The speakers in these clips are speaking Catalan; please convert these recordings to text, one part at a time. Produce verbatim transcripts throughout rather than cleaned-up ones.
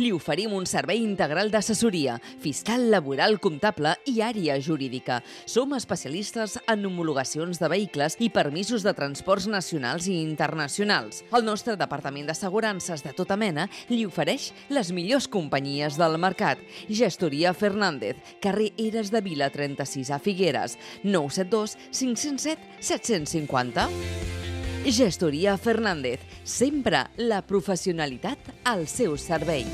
Li oferim un servei integral d'assessoria, fiscal, laboral, comptable i àrea jurídica. Som especialistes en homologacions de vehicles i permisos de transports nacionals i internacionals. El nostre departament d'assegurances de tota mena li ofereix les millors companyies del mercat. Gestoria Fernández, carrer Eres de Vila trenta-sis a Figueres, nou set dos cinc zero set set cinc zero. Gestoria Fernández, sempre la professionalitat al seu servei.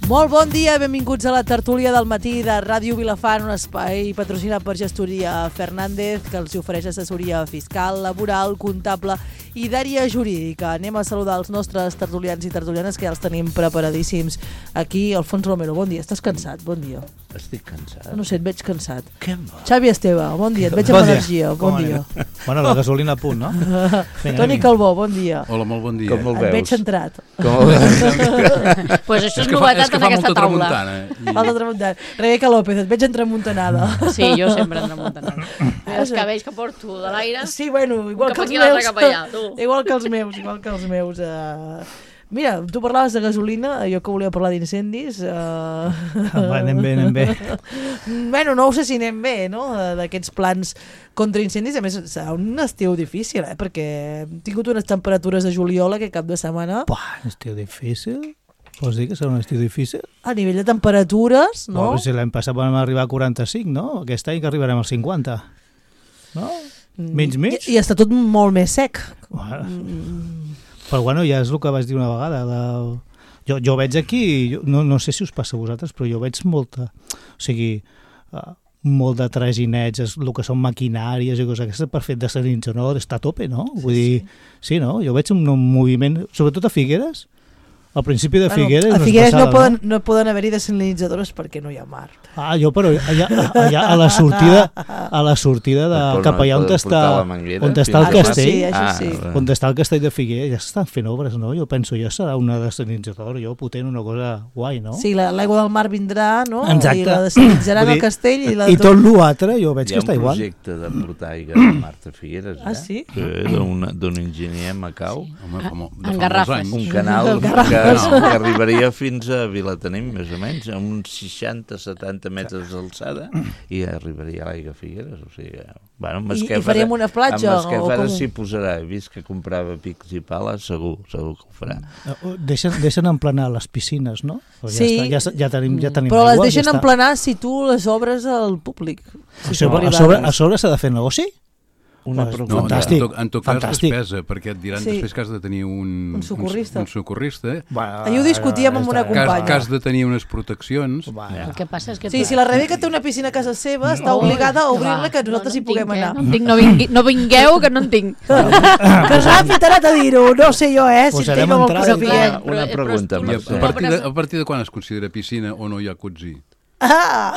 Molt bon dia, benvinguts a la tertúlia del matí de Ràdio Vilafant, un espai patrocinat per Gestoria Fernández, que els ofereix assessoria fiscal, laboral, comptable i d'àrea jurídica. Anem a saludar els nostres tertulians i tertulianes, que ja els tenim preparadíssims. Aquí, Alfons Romero, bon dia. Estàs cansat? Bon dia. Estic cansat. No sé, et veig cansat. Què va? Xavi Esteve, bon dia. Et veig amb energia. Bon dia. Bueno, la gasolina a punt, no? Toni Calbó, bon dia. Hola, molt bon dia. Com el Et veus? veig centrat. Com el veus? Pues això és novetat en aquesta taula. Falta tramuntana. Rebeca López, et veig entremuntanada. Sí, jo sempre entremuntanada. Els cabells que porto de l'aire. Sí, bueno, igual Cap que els aquí, l'altre meus. cap allà, tu. Igual que els meus, igual que els meus. Uh... Mira, tu parlaves de gasolina, jo que volia parlar d'incendis. Uh... Va, anem bé, anem bé. Bueno, no ho sé si anem bé, no?, d'aquests plans contra incendis. A més, serà un estiu difícil, eh?, perquè hem tingut unes temperatures de juliol aquest cap de setmana. Buah, estiu difícil? Vols dir que serà un estiu difícil? A nivell de temperatures, no? Buah, si l'any passat vam arribar a quaranta-cinc, no? Aquest any que arribarem als cinquanta. No? Mig, mig? I, i està tot molt més sec. Buah. Però bueno, ja és el que vaig dir una vegada. La... Jo, jo veig aquí, jo, no, no sé si us passa a vosaltres, però jo veig molta... O sigui, uh, molt de traginets, el que són maquinàries i coses aquestes per fer de dessalinitzador està a tope, no? Vull sí, dir, sí. sí, no? Jo veig un, un moviment, sobretot a Figueres, al principi de Figueres... Bueno, a Figueres no, no, poden, no? no poden haver-hi desalinitzadores perquè no hi ha mar. Ah, jo, però allà, allà a la sortida, a la sortida de, cap allà on està, on està el castell, sí, això sí. ah, on està el castell de Figueres, ja s'estan fent obres, no? Jo penso, ja serà una desalinitzadora, jo potent, una cosa guai, no? Sí, l'aigua del mar vindrà, no? Exacte. I la desalinitzaran al castell. I, la I tot l'altre, jo veig que està igual. Hi ha un projecte de portar aigua de mar a Figueres, eh? Ah, sí? D'un enginyer a Macau. Sí. Home, com, de En garrafes. Un canal que, que arribaria fins a Vilatenim, més o menys, a uns seixanta setanta metres d'alçada, i arribaria a l'aigua a Figueres. O sigui, bueno, I, I faríem una platja? Amb Masquefara com... s'hi posarà. He vist que comprava pics i pales, segur, segur que ho farà. Deixen, deixen emplenar les piscines, no? Ja, Sí. està, ja, ja tenim, ja tenim Però les aigua, deixen ja emplenar si tu les obres al públic. Si O sigui, a sobre, a sobre s'ha de fer negoci? Una Pues, pregunta. No, Fantàstic, en tot, en tot cas fantàstic. despesa, perquè et diran Sí. després que has de tenir un... Un socorrista. Un, un socorrista. Bueno, Ahir ho discutíem amb una Que has, companya. que has de tenir unes proteccions. Bueno. El que passa és que... Sí, tu- si la Rebeca té una piscina a casa seva, està obligada a obrir-la, que nosaltres hi no en puguem tinc, eh? anar. No en tinc, no, vingui, no vingueu, que no en tinc. Que ràpid ara t'ha dir-ho, no sé jo, eh, si Posarem tinc amb el entrada. crucifix. Una- una pregunta, I a, Mercè. a, partir de, a partir de quan es considera piscina o no hi ha cotzi? Ah!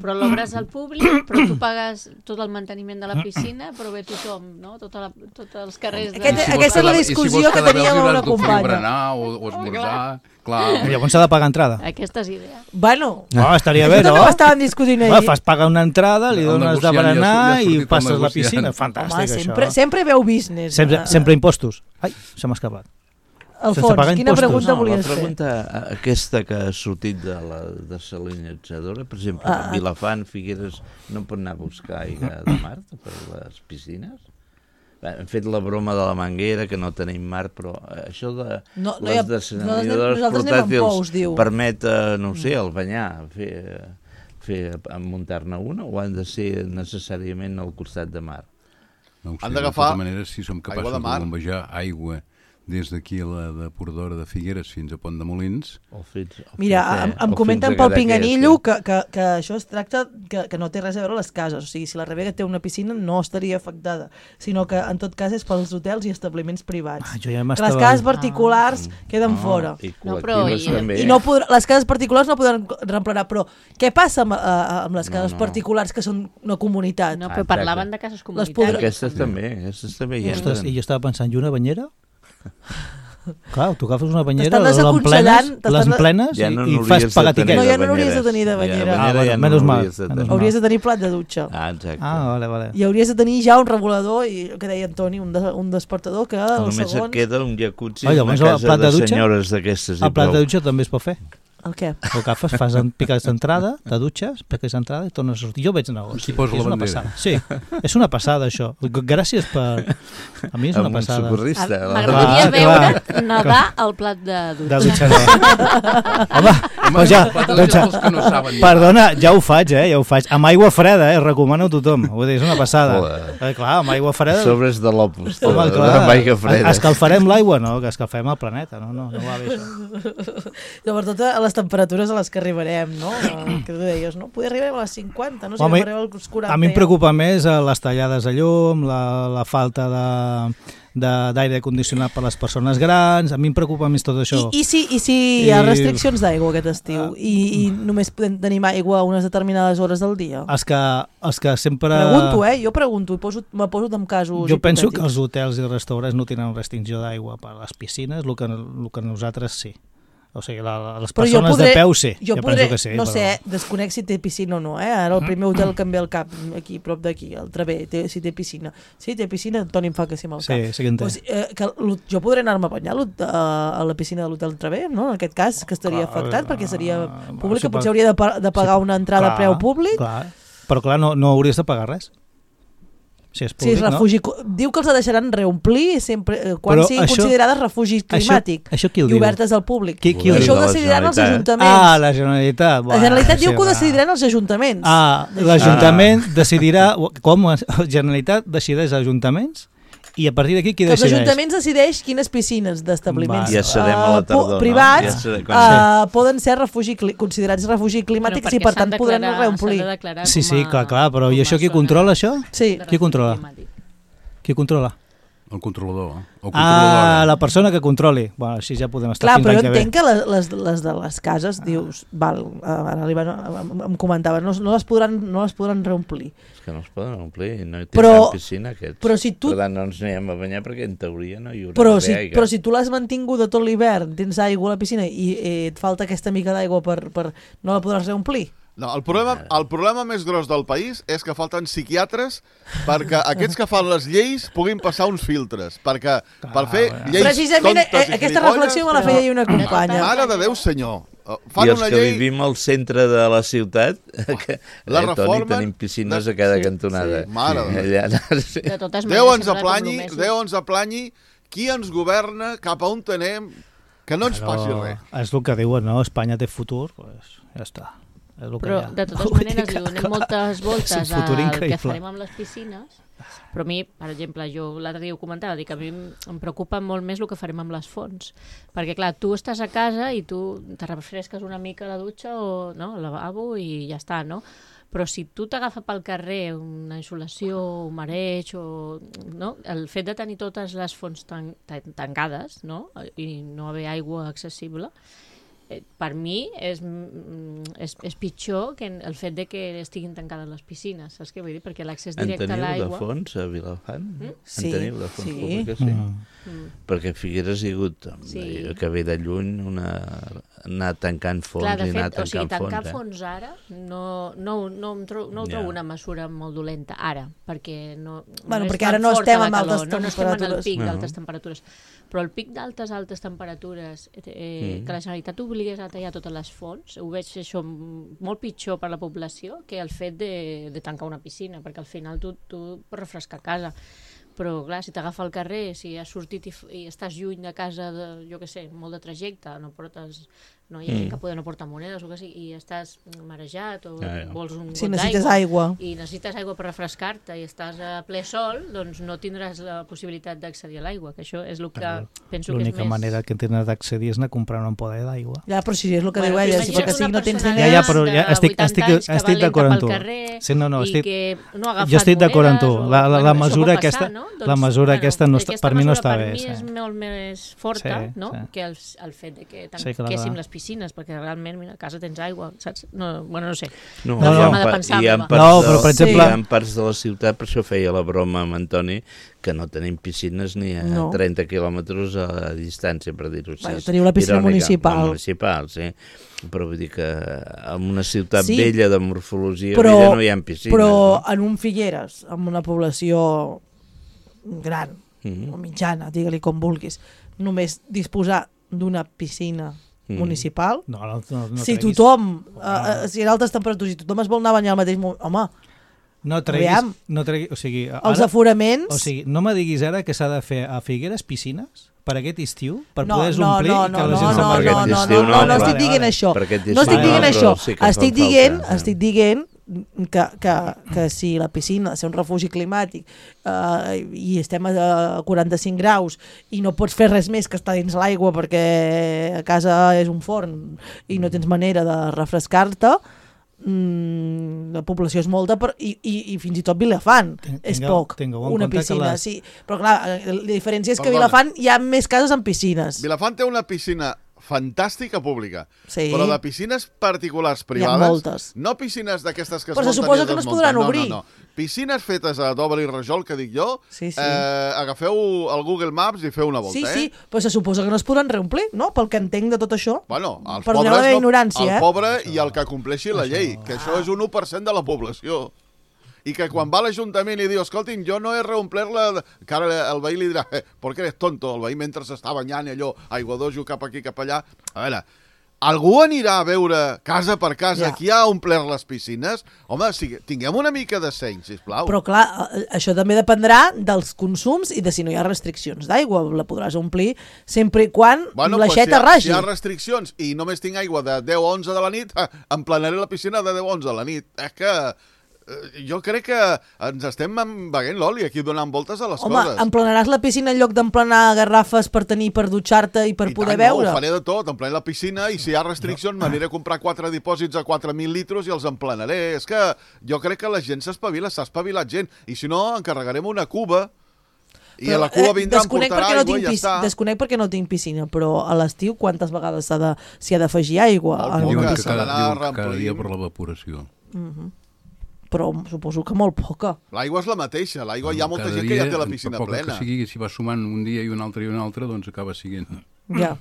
Però l'obres al públic, però tu pagues tot el manteniment de la piscina, però ve tothom, no? Tota la, tots els carrers de... Aquest- aquesta és la discussió que teníem amb una companya. berenar o, o esmorzar, clar. Llavors s'ha de pagar entrada. Aquesta és idea. Bueno, No, estaria bé, això no? també ho estàvem discutint Va, ahir. fas pagar una entrada, li El dones de negociant ja ha- berenar ja ha sortit i el passes la negociant. piscina. Home, Fantàstic, sempre, això. sempre veu business. Sempre, Ah, sempre impostos. Ai, se m'ha escapat. sense Alfons, pagar quina impostos. pregunta No, la volies fer? pregunta aquesta que ha sortit de la desalinitzadora, per exemple, Ah. a Vilafant, Figueres, no pot anar a buscar aigua de mar per les piscines? Hem fet la broma de la manguera, que no tenim mar, però això de No, no hi ha- les desalinizadores nosaltres anem amb portàtils pous, diu. permet, eh, no ho sé, el banyar, fer, fer muntar-ne una, o han de ser necessàriament al costat de mar? No ho sé, Han de d'agafar tota manera, si som aigua capaços de de mar. bombejar aigua des d'aquí a la depuradora de Figueres fins a Pont de Molins. O fins, o Mira, fins, em, eh? em O comenten fins a pel Cadaqués, Pinganillo eh? que, que, que això es tracta que, que no té res a veure les cases, o sigui, si la Rebega té una piscina no estaria afectada, sinó que en tot cas és pels hotels i establiments privats. Ah, jo ja que les m'estava... cases particulars Ah. queden No, fora. I No, però col·lectives i- també. I no podrà, les cases particulars no podran reemplenar, però què passa amb, eh, amb les No, cases no. particulars que són una comunitat? No, Ah, però exacte. parlaven de cases podrà- comunitàries. Aquestes també, aquestes també hi Ostres, entren. i jo estava pensant, i una banyera? Clar, tu agafes una banyera, T'estan les desaconsellant, emplenes, t'estan- les emplenes Ja no i, i n'hauries fas de pagar tenir tiquet. No, ja no de n'hauries de banyeres. tenir de banyera. Ja, Ah, de vale, ja no menys mal, n'hauries de menys tenir. mal. Hauries de tenir plat de dutxa. Ah, exacte. Ah, vale, vale. I hauries de tenir ja un regulador i el que deia Antoni, un, de, un despertador que el Només segon... et queda un jacuzzi Ah, en una llavors el casa plat de de dutxa? senyores d'aquestes. i El plat prou. de dutxa també es pot fer. El què? El agafes, fas en piques d'entrada, te dutxes, piques d'entrada i tornes a sortir. Jo veig negoci. Aquí posa és la una bandera. passada. Sí, és una passada això. Gràcies per... A mi és una Amb un passada. socorrista. Ah, la- M'agradaria Clar, veure clar. nedar al plat de De dutxa. dutxa no. Home, doncs ja, doncs ja, Els que no saben. perdona, ja ho faig, eh, ja ho faig. Amb aigua freda, eh, recomano a tothom. Vull dir, és una passada. Joder. Eh, clar, amb aigua freda... Sobres de l'opus. Home, de- clar, Amb aigua freda. escalfarem l'aigua, no, que escalfem el planeta, no, no, no va bé això. Sobretot a les temperatures a les que arribarem, no? Eh, Que tu deies, no? Poder arribar a les cinquanta, no? Si Home, arribareu als quaranta. A mi em ja. preocupa més eh, les tallades de llum, la, la falta de de- d'aire condicionat per a les persones grans, a mi em preocupa més tot això. I, i, si, I si hi ha I- restriccions d'aigua aquest estiu Ah. i, i només podem tenir aigua a unes determinades hores del dia? Els que, els que sempre... Pregunto, eh? Jo pregunto, i poso, me poso en casos Jo penso que hipotètics. els hotels i restaurants no tenen restricció d'aigua per a les piscines, el que, el que nosaltres sí. O sigui, la, les Però jo persones podré, de peu sí, jo jo podré, penso que sí. no però... sé, desconec si té piscina o no, eh? Ara el primer hotel que em ve al cap, aquí, prop d'aquí, el Travé, té, si té piscina. Sí, té piscina, Toni em fa que sí amb el cap. Sí, sí que en té. Pues, eh, que l'ho- jo podré anar-me a banyar a l'hot- a, a la piscina de l'hotel Travé, no? En aquest cas, que estaria Clar, afectat, perquè seria ah, pública, sí, potser però- hauria de, pa- de pagar sí, una entrada a clar, preu públic. Clar. Però clar, no, no hauries de pagar res. Si és Si és públic, refugi, diu que els ha deixaran reomplir sempre, eh, quan Però siguin això- considerades refugi climàtic això qui ho i diu? obertes al públic. Qui- qui I ho això diu? ho decidiran els La ajuntaments. no? Ah, la Generalitat. La Generalitat diu sí, que ho va. decidiran els ajuntaments. Ah, l'Ajuntament decidirà... Com? La Generalitat decideix els ajuntaments i a partir d'aquí qui Que els decideix? ajuntaments decideix quines piscines d'establiments Va. Ja serem a la eh, tardor, pu- no? privats Ja serem- eh, poden ser refugi, cli- considerats refugi Però climàtics perquè i per s'han tant podran declarar- reomplir. s'han de declarar Sí, com sí, a- clar, clar, però com i a això qui zona controla això? Sí. de Qui controla? refugi climàtic. Qui controla? El controlador. O Ah, controladora. la persona que controli. Bueno, així ja podem estar Clar, fins però l'any jo que ve. entenc que les, les, les de les cases, dius, val, eh, ara li van, em, em comentava, no, no, les podran, no les podran reomplir. És que no es poden omplir, no hi Però- tindran piscina aquests. però si tu- Per tant, no ens anirem a banyar perquè en teoria no hi haurà Però d'haver si, aigua. però si tu l'has mantingut tot l'hivern, tens aigua a la piscina i eh, et falta aquesta mica d'aigua per, per... no la podràs reomplir? No, el problema, el problema més gros del país és que falten psiquiatres perquè aquests que fan les lleis puguin passar uns filtres, perquè per fer lleis Precisament eh, tontes i aquesta gilipolles, reflexió me la feia ahir una companya. Mare de Déu, senyor. Uh, Fan I els una que llei... vivim al centre de la ciutat, que, La eh, Toni, reformen tenim piscines de- a cada sí, cantonada. sí, mare de Déu. Allà, sí. De totes Déu maneres, ens sembla com aplanyi, lo més- Déu ens aplanyi, qui ens governa, cap a on anem, que no ens passi res. És el que diuen, no? Espanya té futur, pues, ja està. És el que Però, hi ha. de totes Vull dir maneres, que, li donem clar, moltes és voltes un futur al que increïble. farem amb les piscines, però a mi, per exemple, jo l'altre dia ho comentava, dic, a mi em em preocupa molt més el que farem amb les fonts, perquè clar, tu estàs a casa i tu te refresques una mica a la dutxa o no, al lavabo i ja està, no? Però si tu t'agafa pel carrer una insolació, un mareig, o, no? El fet de tenir totes les fonts tan, tan, tancades, no? I no haver aigua accessible, eh, per mi és, mm, és, és pitjor que el fet de que estiguin tancades les piscines, saps què vull dir? Perquè l'accés En directe a teniu de l'aigua... fons a Vilafant? Mm? Sí, En teniu de fons sí. públiques? Sí. Mm. Mm. Perquè a Figueres hi ha hagut, Sí. sí. que ve de lluny, una... anar tancant fons Clar, de i anar fet, o sigui, tancant tancar fons. fons ara no, no, no, em tro no ho Ja. trobo una mesura molt dolenta, ara, perquè no, Bueno, no és perquè tan ara no forta estem la amb calor, altes no, no estem en el temperatures. pic No. d'altes temperatures, però el pic d'altes, altes temperatures, eh, Mm. que la Generalitat obligués a tallar totes les fonts, ho veig això molt pitjor per la població que el fet de, de tancar una piscina, perquè al final tu, tu pots refrescar a casa, però clar, si t'agafa al carrer, si has sortit i, f- i estàs lluny de casa, de, jo què sé, molt de trajecte, no portes no? Hi ha gent que poden no portar monedes o que sigui, i estàs marejat o Ja, ja. vols un Si got necessites d'aigua aigua. i necessites aigua per refrescar-te i estàs a ple sol, doncs no tindràs la possibilitat d'accedir a l'aigua, que això és el que penso que és L'única més... manera que tens d'accedir és anar a comprar una ampolla d'aigua. Ja, però si és el que Bueno, diu ella, si imagina't perquè sí, una no tens persona diners... Ja, ja, però ja de estic- vuitanta estic- anys que va estic lenta d'acord amb pel tu. carrer Sí, no, no, i estic- que no ha agafat Jo estic d'acord amb tu. monedes o- La- la- la bueno, això mesura pot passar, aquesta- no? la mesura aquesta no està- aquesta per mi no mesura està per bé, mi sí. és molt més forta, Sí, no? sí. Que el, el fet de que Sí, clar, tanquéssim clar. les piscines, perquè realment, mira, a casa tens aigua, saps? No, bueno, no sé. No, La hi ha forma de pa- pensar hi ha meva. parts No, de- però, per exemple- Hi ha parts de la ciutat, per això feia la broma amb Antoni, que no tenim piscines ni a No. trenta quilòmetres a distància, per dir-ho així. Bueno, teniu la piscina Irònica. municipal. La municipal, sí. Però vull dir que en una ciutat Sí. vella, de morfologia Però- vella, no hi ha piscines. Però no? en un Figueres, amb una població gran, Mhm. o mitjana, digue-li com vulguis, només disposar d'una piscina Mhm. municipal, No, no, no, no si treguis- tothom, uh, uh, si en altes temperatures, si tothom es vol anar a banyar al mateix moment, home, No treguis... Aviam. No treguis o sigui, ara, els aforaments... o sigui, no me diguis ara que s'ha de fer a Figueres piscines per aquest estiu, per no, poder no, omplir no, i que no, la no, gent no, se'n no, vagi. Per no, aquest no, estiu no, no, no, no vale, estic dient vale. això. Per aquest No estic estiu dient no, això. però sí que Estic fan dient, falta, sí. estic dient que, que, que si la piscina ha de ser un refugi climàtic eh, i estem a quaranta-cinc graus i no pots fer res més que estar dins l'aigua perquè a casa és un forn i no tens manera de refrescar-te, mm, la població és molta per, i, i, i fins i tot Vilafant Ten- és tingueu- poc, tingueu en una compte que piscina, les- sí. Però clar, la diferència és que a Perdona. Vilafant hi ha més cases amb piscines. Vilafant té una piscina fantàstica pública, Sí. però de piscines particulars Hi ha privades, moltes. no piscines d'aquestes que es Però se munten suposa i que no es desmunten, podran obrir. No, no, no. Piscines fetes a doble i rajol, que dic jo, Sí, sí. Eh, agafeu el Google Maps i feu una volta, Sí, eh? sí, però se suposa que no es podran reomplir, no? Pel que entenc de tot això. Bueno, els Perdoneu pobres la meva no, ignorància, el eh? pobre i el que compleixi la llei, que això és un u per cent de la població. I que quan va a l'Ajuntament i diu, escoltin, jo no he reomplert-la, que ara el veí li dirà, eh, perquè eres tonto, el veí mentre s'està banyant i allò, aigua dojo cap aquí, cap allà. A veure, algú anirà a veure casa per casa Ja. qui ha omplert les piscines? Home, si, tinguem una mica de seny, sisplau. Però clar, eh, això també dependrà dels consums i de si no hi ha restriccions d'aigua. La podràs omplir sempre i quan Bueno, l'aixeta pues, si, ragi. hi ha, si hi ha restriccions i només tinc aigua de deu a onze de la nit, eh, emplenaré la piscina de deu a onze de la nit. És que eh, jo crec que ens estem veient l'oli aquí donant voltes a les Home, coses. emplenaràs la piscina en lloc d'emplenar garrafes per tenir per dutxar-te i per I poder tant, beure? No, ho faré de tot, emplenaré la piscina i si hi ha restriccions m'aniré a comprar quatre dipòsits a quatre mil litres i els emplenaré. És que jo crec que la gent s'espavila, s'ha espavilat gent. I si no, encarregarem una cuba i a la cuba vindrà, em desconec portarà perquè no aigua i tinc ja pis- està. Desconec perquè no tinc piscina, però a l'estiu quantes vegades s'ha de- s'hi ha d'afegir aigua Molt en poca, una Diuen que s'ha piscina? cada, d'anar diuen que cada dia reomplint. per l'evaporació. Però suposo que molt poca. L'aigua és la mateixa, l'aigua hi ha molta Cada gent que ja dia, té la per piscina poc plena. Que sigui, si va sumant un dia i un altre i un altre, doncs acaba siguent... Ja.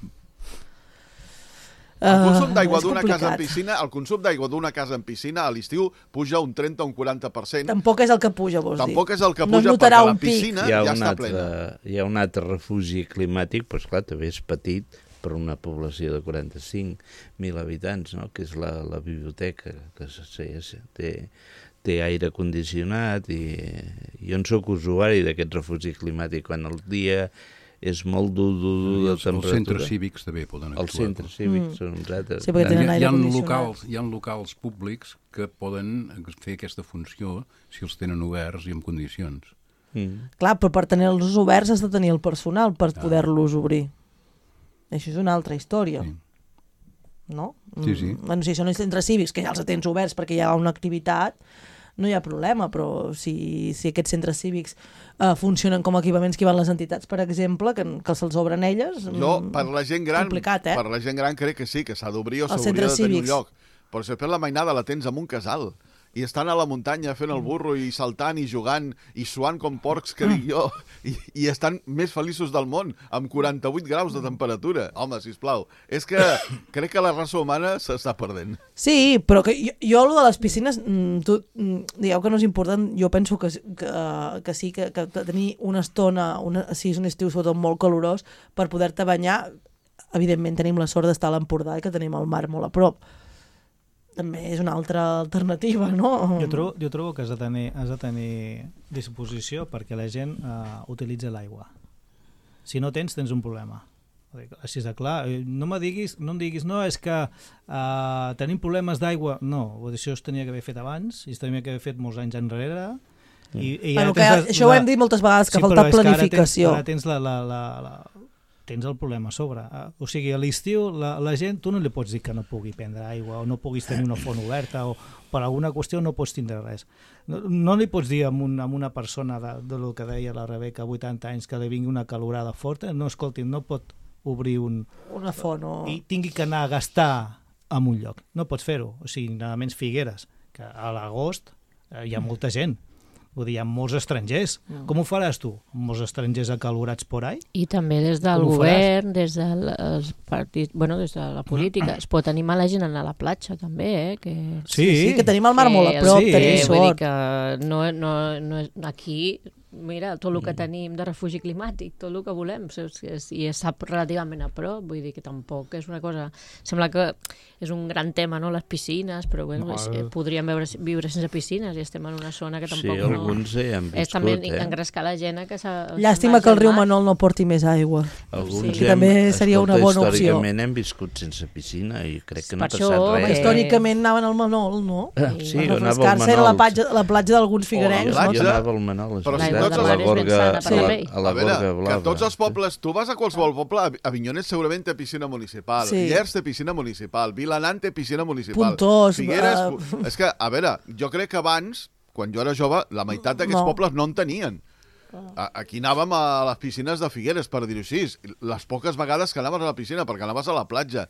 El consum Eh, d'aigua és d'una casa en complicat. piscina, el consum d'aigua d'una casa en piscina a l'estiu puja un trenta o un quaranta per cent. Tampoc és el que puja, vols dir? Tampoc és el que No es puja notarà perquè la un pic. piscina Hi ha, ja un està altre, plena. hi ha un altre refugi climàtic, però esclar, també és petit per una població de quaranta-cinc mil habitants, no? Que és la, la biblioteca, que sí, sí, té, té aire condicionat i jo en sóc usuari d'aquest refugi climàtic. Quan el dia és molt dur, dur, dur de Els, els temperatura... centres cívics també poden actuar. Els centres cívics Mm. són uns altres. Sí, perquè tenen Hi, ha- aire hi, ha condicionat. locals, hi ha locals públics que poden fer aquesta funció si els tenen oberts i en condicions. Mm. Clar, però per tenir-los oberts has de tenir el personal per poder-los obrir. Això és una altra història. Sí. No? Sí, sí. Mm, Bueno, si són els centres cívics, que ja els tens oberts perquè hi ha una activitat, no hi ha problema, però si, si aquests centres cívics uh, funcionen com a equipaments que van les entitats, per exemple, que, que se'ls obren elles... Jo, mm, per la gent gran, complicat, eh? per la gent gran crec que sí, que s'ha d'obrir o Els s'hauria de centres tenir un cívics. lloc. Però si després la mainada la tens en un casal i estan a la muntanya fent el burro i saltant i jugant i suant com porcs, que dic jo, i, i estan més feliços del món, amb quaranta-vuit graus de temperatura. Home, sisplau, és que crec que la raça humana s'està perdent. Sí, però que jo, jo lo de les piscines, mm, tu, mm, digueu que no és important, jo penso que, que, que sí, que, que tenir una estona, una, si és un estiu sobretot molt calorós, per poder-te banyar, evidentment tenim la sort d'estar a l'Empordà i que tenim el mar molt a prop. També és una altra alternativa, no? Jo trobo, jo trobo que has de tenir, has de tenir disposició perquè la gent uh, utilitza l'aigua. Si no tens, tens un problema. Així de clar, no me diguis, no em diguis, no, és que uh, tenim problemes d'aigua. No, això es tenia que haver fet abans, i es tenia que haver fet molts anys enrere. I, i bueno, que, la, això ho hem dit moltes vegades, que sí, falta planificació. Ara tens, ara tens, la, la, la, la, tens el problema a sobre. O sigui, a l'estiu la, la gent, tu no li pots dir que no pugui prendre aigua o no puguis tenir una font oberta o per alguna qüestió no pots tindre res. No, no li pots dir a, un, a una persona de, de lo que deia la Rebeca, vuitanta anys, que li vingui una calorada forta, no, escolti, no pot obrir un... una font o... i tingui que anar a gastar en un lloc. No pots fer-ho. O sigui, nada menys Figueres, que a l'agost eh, hi ha molta gent. Vull dir, hi ha molts estrangers. Mm. Com ho faràs tu? Molts estrangers acalorats por ahí? I també des del govern, des dels partits, bueno, des de la política, es pot animar la gent a anar a la platja, també, eh? Que... Sí, sí, sí, que tenim el mar molt a prop, sí, tenim sort. Vull dir que no, no, no és... aquí... Mira, tot el que tenim de refugi climàtic, tot el que volem, i és relativament a prop, vull dir que tampoc és una cosa... Sembla que és un gran tema, no?, les piscines, però bueno, no, el... podríem veure, viure sense piscines i estem en una zona que tampoc sí, no... Sí, alguns hi han viscut, és també eh? engrescar la gent que s'ha... Llàstima que el riu Manol no porti més aigua. Alguns sí. Que també seria una bona opció. Històricament hem viscut sense piscina i crec que no ha passat això, res. Que... Històricament anaven al Manol, no? Ah, sí, per anava al Manol. Era la platja, la platja d'alguns figuerencs. Oh, jo anava al Manol, és però si veritat, tots a la gorga, sí. a la, a la a veure, gorga blava. Que tots els pobles, tu vas a qualsevol poble, Avinyonet segurament té piscina municipal, sí. Llers té piscina municipal, Vilanant té piscina municipal. Puntós. Figueres... Uh... És que, a veure, jo crec que abans, quan jo era jove, la meitat d'aquests no. pobles no en tenien. Aquí anàvem a les piscines de Figueres, per dir-ho així, les poques vegades que anaves a la piscina, perquè anaves a la platja.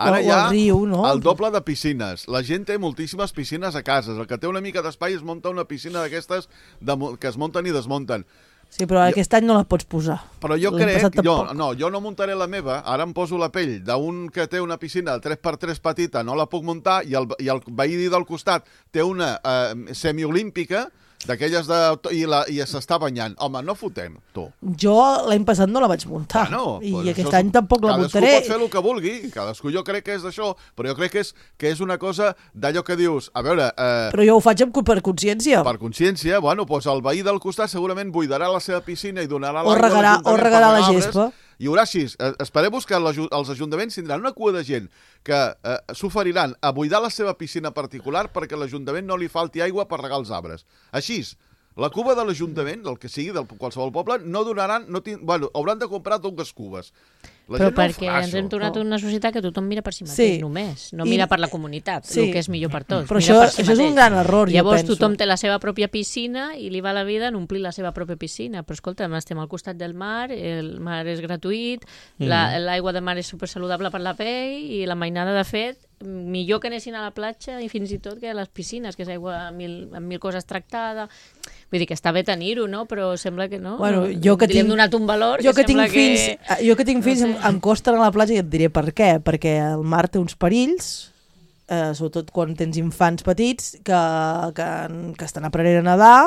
Ara hi ha riu, no? el doble de piscines. La gent té moltíssimes piscines a casa. El que té una mica d'espai es munta una piscina d'aquestes de... que es munten i desmunten. Sí, però jo, aquest any no la pots posar. Però jo crec, jo, no, jo no muntaré la meva, ara em poso la pell d'un que té una piscina de tres per tres petita, no la puc muntar, i el, i el veí del costat té una eh, semiolímpica, d'aquelles de... i, la, i s'està banyant. Home, no fotem, tu. Jo l'any passat no la vaig muntar. Bueno, I pues aquest any tampoc la muntaré. Cadascú pot fer el que vulgui. Cadascú jo crec que és d'això. Però jo crec que és, que és una cosa d'allò que dius... A veure... Eh, però jo ho faig amb, per consciència. Per consciència, bueno, doncs el veí del costat segurament buidarà la seva piscina i donarà l'aigua... O regarà, o regarà la gespa. Hi haurà així. Esperem-vos que els ajuntaments tindran una cua de gent que eh, s'oferiran a buidar la seva piscina particular perquè a l'Ajuntament no li falti aigua per regar els arbres. Així, la cuba de l'Ajuntament, del que sigui, del qualsevol poble, no donaran... No tin... bueno, hauran de comprar dues cubes. La però perquè no ens hem tornat a una societat que tothom mira per si mateix, sí. només. No mira I... per la comunitat, sí. el que és millor per tots. Però mira això, per si això és un gran error, jo Llavors penso. tothom té la seva pròpia piscina i li va la vida en omplir la seva pròpia piscina. Però escolta, estem al costat del mar, el mar és gratuït, mm. l'aigua de mar és supersaludable per la pell i la mainada, de fet, millor que anessin a la platja i fins i tot que a les piscines, que és aigua amb mil, amb mil coses tractada. Vull dir que està bé tenir-ho, no? Però sembla que no. Bueno, jo que li hem tinc, donat un valor jo que, que tinc sembla fills, que... Jo que tinc fills no sé. em, em costa anar a la platja i et diré per què. Perquè el mar té uns perills, eh, sobretot quan tens infants petits que, que, que estan aprenent a nedar.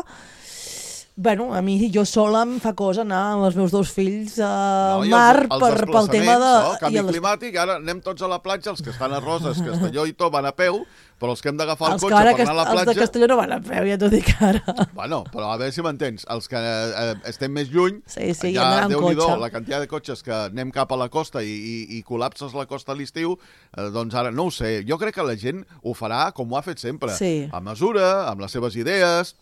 Bueno, a mi jo sola em fa cosa anar amb els meus dos fills al no, mar els, els per, pel tema de... No? Canvi les... climàtic, ara anem tots a la platja, els que estan a Roses, Castelló i tot van a peu, però els que hem d'agafar el cotxe per anar a la platja... Els de Castelló no van a peu, ja t'ho dic ara. Bueno, però a veure si m'entens, els que eh, estem més lluny, sí, sí, ja, ja Déu-n'hi-do, la quantitat de cotxes que anem cap a la costa i, i, i col·lapses la costa a l'estiu, eh, doncs ara no ho sé, jo crec que la gent ho farà com ho ha fet sempre, sí. a mesura, amb les seves idees...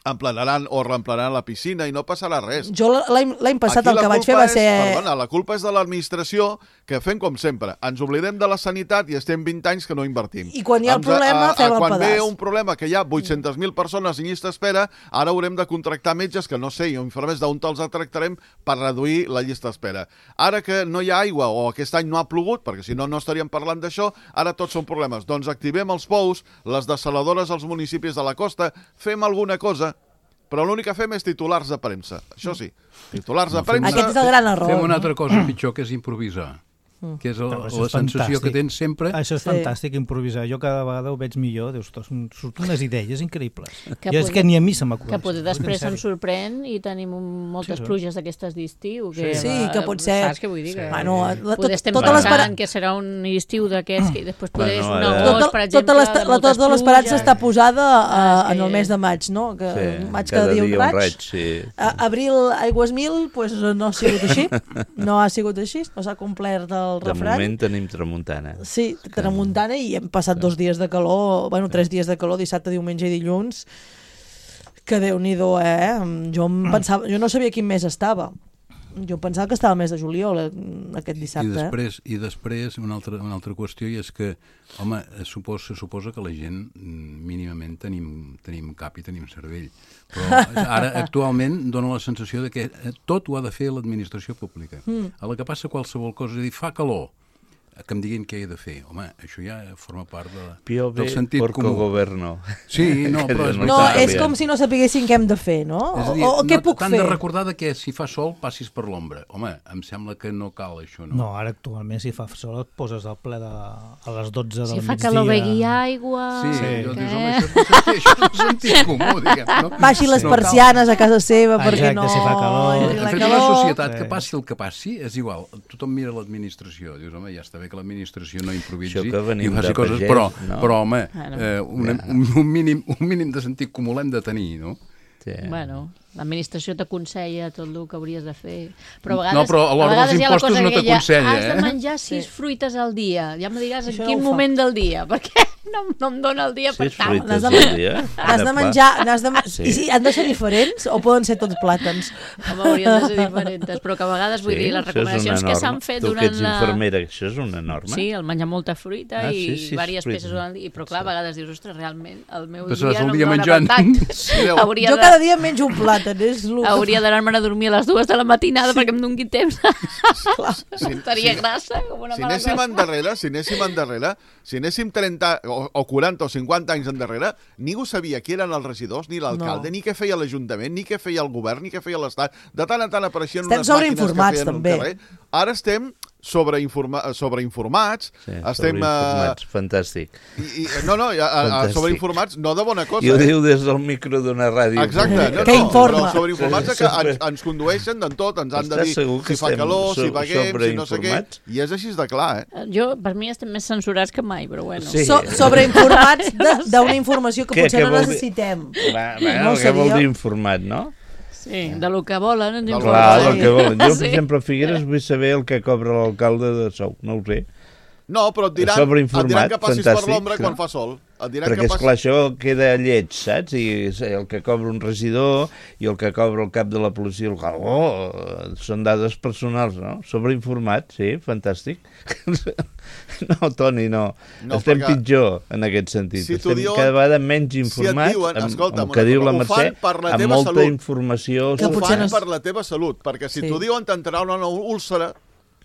emplenaran o reemplenaran la piscina i no passarà res. Jo l'any passat aquí el que vaig fer va és, ser... Perdona, la culpa és de l'administració, que fem com sempre. Ens oblidem de la sanitat i estem vint anys que no invertim. I quan hi ha el problema, a, a, fem el quan pedaç. ve un problema que hi ha vuit-centes mil persones en llista d'espera, ara haurem de contractar metges que no sé, i infermers d'on te'ls tractarem per reduir la llista d'espera. Ara que no hi ha aigua o aquest any no ha plogut, perquè si no, no estaríem parlant d'això, ara tots són problemes. Doncs activem els pous, les dessaladores als municipis de la costa, fem alguna cosa, però l'únic que fem és titulars de premsa. Això sí, titulars de premsa... Aquest és el gran error. Fem una altra cosa pitjor, que és improvisar. que és el, Però la això és sensació fantàstic. que tens sempre. Això és Sí. fantàstic, improvisar. Jo cada vegada ho veig millor. Dius, ostres, surten unes idees increïbles. Que Jo és poder- que ni a mi se m'acudeix. Que potser després En se'n sèrio. sorprèn i tenim un, moltes Sí, sí. pluges d'aquestes d'estiu. Que, Sí, va- que pot ser. Saps què vull dir? Que Bueno, la, tot, poder estem tota pensant l'esperança que serà un estiu d'aquests que després poder és Bueno, un ara- agost, tota, per exemple, tota l'esta- de la, moltes tota l'esperança pluges. està posada Ah, uh, és en que- el mes de maig, no? Que Sí, maig cada cada dia un dia un raig. raig, sí. A, abril, aigües mil, pues no ha sigut així. No ha sigut així, no s'ha complert el De refrany. moment tenim tramuntana. Sí, tramuntana i hem passat dos dies de calor, bueno, tres dies de calor, dissabte, diumenge i dilluns, que Déu-n'hi-do, eh? Jo, em pensava, jo no sabia quin mes estava. Jo pensava que estava el mes de juliol, eh, aquest I dissabte. després, i després una, altra, una altra qüestió i és que, home, es suposa, se suposa que la gent mm, mínimament tenim, tenim cap i tenim cervell. Però ara, actualment, dona la sensació de que eh, tot ho ha de fer l'administració pública. Mm. A la que passa qualsevol cosa, és a dir, fa calor, que em diguin què he de fer. Home, això ja forma part de, Piove del sentit porco comú. governo. Sí, no, Que però és diuen No, Itàlia. és com si no sapiguessin què hem de fer, no? És a dir, o, o què no, puc t'han fer? de recordar de que si fa sol passis per l'ombra. Home, em sembla que no cal això, no? No, ara actualment si fa sol et poses al ple de, a les dotze del Si migdia. fa calor begui aigua... Sí, Sí. jo Què? dius, home, això és el sentit, això és el sentit comú, diguem. No? Baixi les No cal. persianes a casa seva perquè Exacte, no... si fa calor. entri En la fet, calor. una societat Sí. que passi el que passi és igual. Tothom mira l'administració. Dius, home, ja està bé que l'administració no improvisi Això que venim i faci de coses, pagès, però, no? però home, Bueno. eh, un, un, un, mínim, un mínim de sentit comú l'hem de tenir, no? Sí. Bueno, l'administració t'aconsella tot el que hauries de fer. Però a vegades, No, però a l'hora vegades dels hi ha la impostos cosa no aquella, t'aconsella, Has de eh? menjar sis Sí. fruites al dia. Ja me diràs en Això no quin ho fa. moment del dia, perquè no, no em dona el dia per Sis tant. fruites N'has de al men- dia. N'has de Ara, menjar... N'has de... Sí. I sí, han de ser diferents o poden ser tots plàtans? Home, haurien de ser diferents, però que a vegades, vull Sí, dir, les això és recomanacions una que s'han norma. fet Tu que durant ets la... infermera, això és una norma? Sí, el menjar molta fruita Ah, i sí, sí, diverses fruita. peces durant el dia. Però clar, a vegades dius, ostres, realment, el meu Passaràs dia el no dia em dona menjant. per tant. Mireu, Hauria Jo de... cada dia menjo un plàtan, és el... Hauria d'anar-me'n a dormir a les dues de la matinada perquè em doni temps. si, Estaria grassa com una si mala anéssim cosa. endarrere, si anéssim endarrere, si anéssim trenta o, o quaranta o cinquanta anys endarrere, ningú sabia qui eren els regidors, ni l'alcalde, No. ni què feia l'Ajuntament, ni què feia el govern, ni què feia l'Estat. De tant en tant apareixien Estem unes màquines que sobreinformats, feien al també. carrer. Ara estem sobreinforma sobreinformats. Sí, estem... sobreinformats, fantàstic. I, i, no, no, a, a, Fantàstic. sobreinformats, no de bona cosa. I ho eh? diu des del micro d'una ràdio. Exacte, no, Que no, informa. però sobreinformats Sí, que sí, ens, ens condueixen d'en tot, ens han de Estàs dir segur que si fa estem calor, si so- paguem, si no sé què, sobreinformats? i és així de clar, eh? Jo, per mi, estem més censurats que mai, però bueno. Sí. So, sobreinformats de- d'una informació que Què- potser què no vol dir? necessitem. Va, va, No què vol seria- dir informat, no? Sí, de lo que volen ens Del informen. Clar, Sí. el que volen. Jo, per Sí. exemple, a Figueres vull saber el que cobra l'alcalde de sou. No ho sé. No, però et diran, Sobreinformat, et diran que passis fantàstic, per l'ombra sí. quan fa sol. Et diran Perquè, que passis... esclar, això queda lleig, saps? I el que cobra un regidor i el que cobra el cap de la policia local. Oh, són dades personals, no? Sobreinformat, sí, fantàstic. No, Toni, no. No, Estem perquè pitjor en aquest sentit. si t'ho Estem diuen- cada vegada menys si et informats, diuen, amb, escolta'm, amb el que una diu la cosa, ho fan Mercè, per la amb teva molta salut. informació. Que Ho potser fan no és- per la teva salut, perquè si Sí. t'ho diuen t'entrarà una úlcera,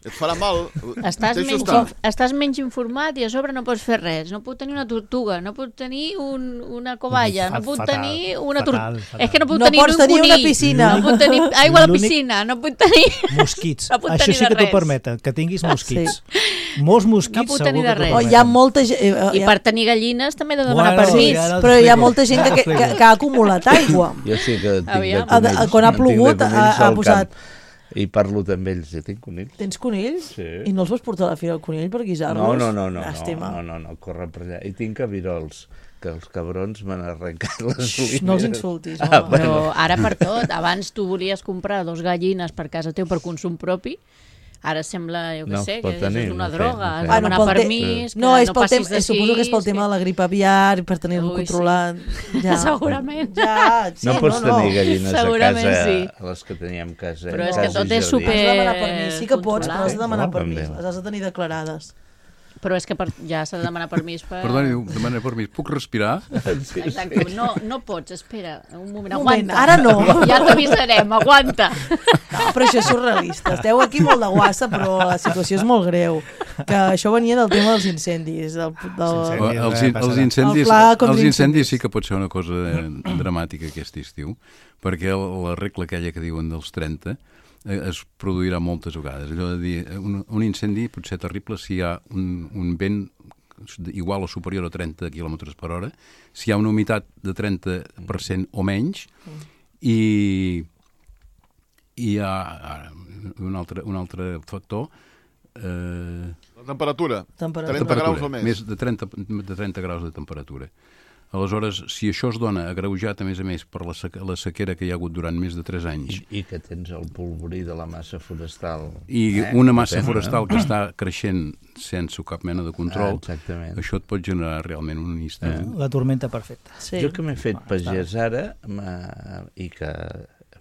et farà mal. Estàs Deixa menys, estar. estàs menys informat i a sobre no pots fer res. No puc tenir una tortuga, no puc tenir un, una covalla, Fa- no puc fatal, tenir una fatal, tortuga. fatal. És que no puc No tenir pots un tenir una conill. piscina. No puc tenir aigua a la L'únic- piscina, no puc tenir... Mosquits. No puc Això tenir sí de que t'ho res. permeten, que tinguis mosquits. Molts mosquits No puc segur tenir que de t'ho res. O permeten. hi ha molta gent... Eh, I hi ha- per tenir gallines també he de demanar Bueno, permís. ja no- Però hi ha t'explico. molta gent que, que, que, que ha acumulat aigua. Jo sí que tinc Aviam. de Ha de- conills. quan ha En tinc de plogut, conills ha- ha al posat- camp. I parlo amb ells, jo tinc conills. Tens conills? Sí. I no els vols portar a la fira del conill per guisar-los? No, no, no, no, Llàstima. no, no, no, corre per allà. I tinc cabirols, que els cabrons m'han arrencat les Xxt, oliveres. no els insultis, Ah, home. bueno. Però ara per tot, abans tu volies comprar dos gallines per casa teu per consum propi, ara sembla, jo què No sé, es pot que tenir, és una no sé, droga, no sé. has de Bueno, demanar pel te- permís, que No, és no pel passis tema, d'aquí, suposo que és pel tema de la grip aviar i per tenir-lo Ui, sí. controlat. Ja. Segurament. Ja, sí, No pots no, tenir no. gallines a Segurament casa, sí. les que teníem a casa. Però eh, és que casa i tot és jardí. super- Has de demanar permís. Sí que pots, però has de demanar No, permís. també. Les has de tenir declarades. Però és que per, ja s'ha de demanar permís per... Perdoni, demana permís. Puc respirar? Exacte, no, no pots, espera, un moment, Un moment, aguanta. ara no. Ja t'avisarem, aguanta. No, però això és surrealista. Esteu aquí molt de guassa, però la situació és molt greu. Que això venia del tema dels incendis. Del, del... Sí, O, sí. els, res in- els passarà. incendis, El pla contra els incendis incendis. sí que pot ser una cosa eh, dramàtica aquest estiu, perquè el- la regla aquella que diuen dels trenta es produirà moltes vegades. Allò de dir, un, un incendi pot ser terrible si hi ha un, un vent igual o superior a trenta quilòmetres per hora, si hi ha una humitat de trenta per cent o menys, i i hi ha ara, un, altre, un altre factor. Eh, La temperatura, temperatura. trenta graus o més. Més de trenta, de trenta graus de temperatura. Aleshores, si això es dona agreujat, a més a més, per la, seque, la sequera que hi ha hagut durant més de tres anys... I, i que tens el polvorí de la massa forestal. I eh? una massa Depèn, forestal eh? que està creixent sense cap mena de control, ah, això et pot generar realment un instant. Eh? La tormenta perfecta. Sí. Jo que m'he fet ah, pagès ara, i que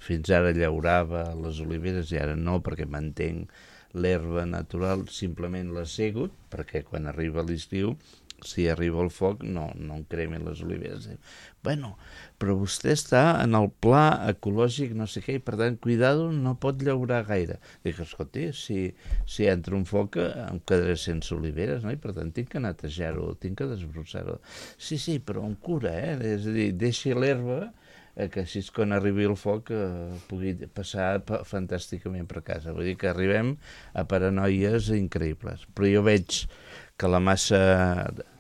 fins ara llaurava les oliveres, i ara no, perquè mantenc l'herba natural, simplement l'ha segut, perquè quan arriba l'estiu, si arriba el foc, no, no em cremin les oliveres. Bueno, però vostè està en el pla ecològic, no sé què, i per tant, cuidado, no pot llaurar gaire. Dic, escolti, si, si entra un foc em quedaré sense oliveres, no? I per tant tinc que netejar-ho, tinc que desbrossar-ho. Sí, sí, però amb cura, eh? És a dir, deixi l'herba, eh, que així quan arribi el foc eh, pugui passar fantàsticament per casa. Vull dir que arribem a paranoies increïbles. Però jo veig que la massa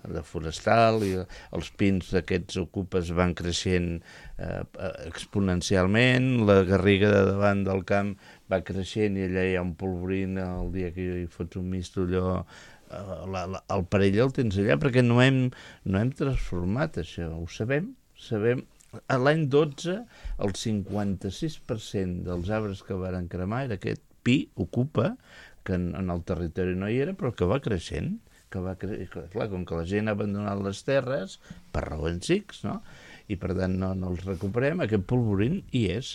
de forestal i els pins d'aquests ocupes van creixent eh, exponencialment, la garriga de davant del camp va creixent i allà hi ha un polvorín el dia que hi fots un misto allò, eh, la, la, el perill el tens allà perquè no hem, no hem transformat això, ho sabem, sabem. A l'any dotze el cinquanta-sis per cent dels arbres que varen cremar era aquest pi ocupa, que en, en el territori no hi era, però que va creixent. Que va cre... Clar, com que la gent ha abandonat les terres per raons X, no? I per tant no, no els recuperem, aquest polvorín hi és.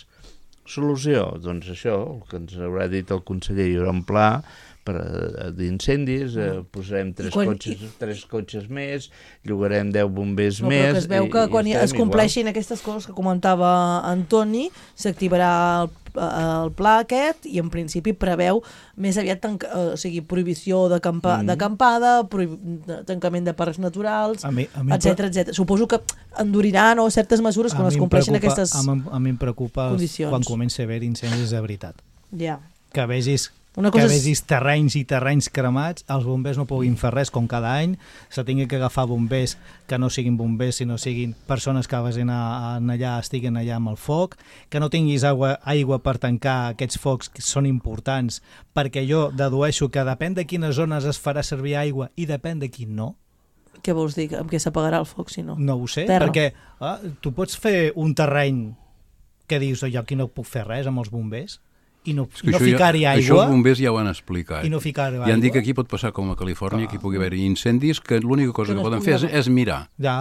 Solució, doncs això, el que ens haurà dit el conseller, hi haurà un pla per d'incendis, eh, posarem tres, quan... cotxes, tres cotxes més, llogarem deu bombers no, més... Però que es veu que i, quan i es compleixin igual. Aquestes coses que comentava Antoni, s'activarà el, el pla aquest i en principi preveu més aviat tanca, o sigui, prohibició d'acampa, mm. d'acampada, tancament de parcs naturals, etcètera, etcètera. Suposo que enduriran o certes mesures quan es compleixin aquestes condicions. A mi em preocupa condicions. Quan comença a haver incendis de veritat. Ja. Que vegis Una que cosa vegis és... terrenys i terrenys cremats, els bombers no puguin fer res com cada any, se tingui que agafar bombers que no siguin bombers, sinó siguin persones que vagin a, a allà, estiguin allà amb el foc, que no tinguis aigua, aigua per tancar aquests focs que són importants, perquè jo dedueixo que depèn de quines zones es farà servir aigua i depèn de quin no. Què vols dir? Amb què s'apagarà el foc, si no? No ho sé, Terra. perquè ah, tu pots fer un terreny que dius, jo aquí no puc fer res amb els bombers, i no, no ficar-hi aigua. Això els bombers ja ho han explicat. I no ficar-hi aigua. I han dit que aquí pot passar com a Califòrnia, que hi pugui haver incendis, que l'única cosa que, que poden fer és, és mirar. Ja,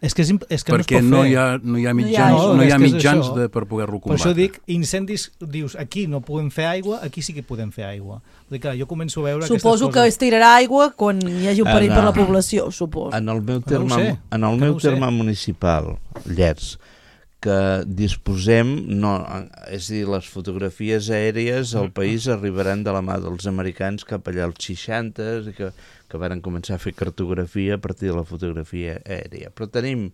és que, és, és que perquè no es pot no hi ha, no hi ha mitjans, no hi ha, no hi ha mitjans de, per poder-lo combatre. Per això dic, incendis, dius, aquí no podem fer aigua, aquí sí que podem fer aigua. Vull dir que jo començo a veure suposo aquestes coses. que es tirarà aigua quan hi hagi un perill en, per la població, suposo. En el meu terme, no sé, en el meu no terme municipal, Llers, que disposem, no, és a dir, les fotografies aèries al país arribaran de la mà dels americans cap allà als seixanta, que, que varen començar a fer cartografia a partir de la fotografia aèria. Però tenim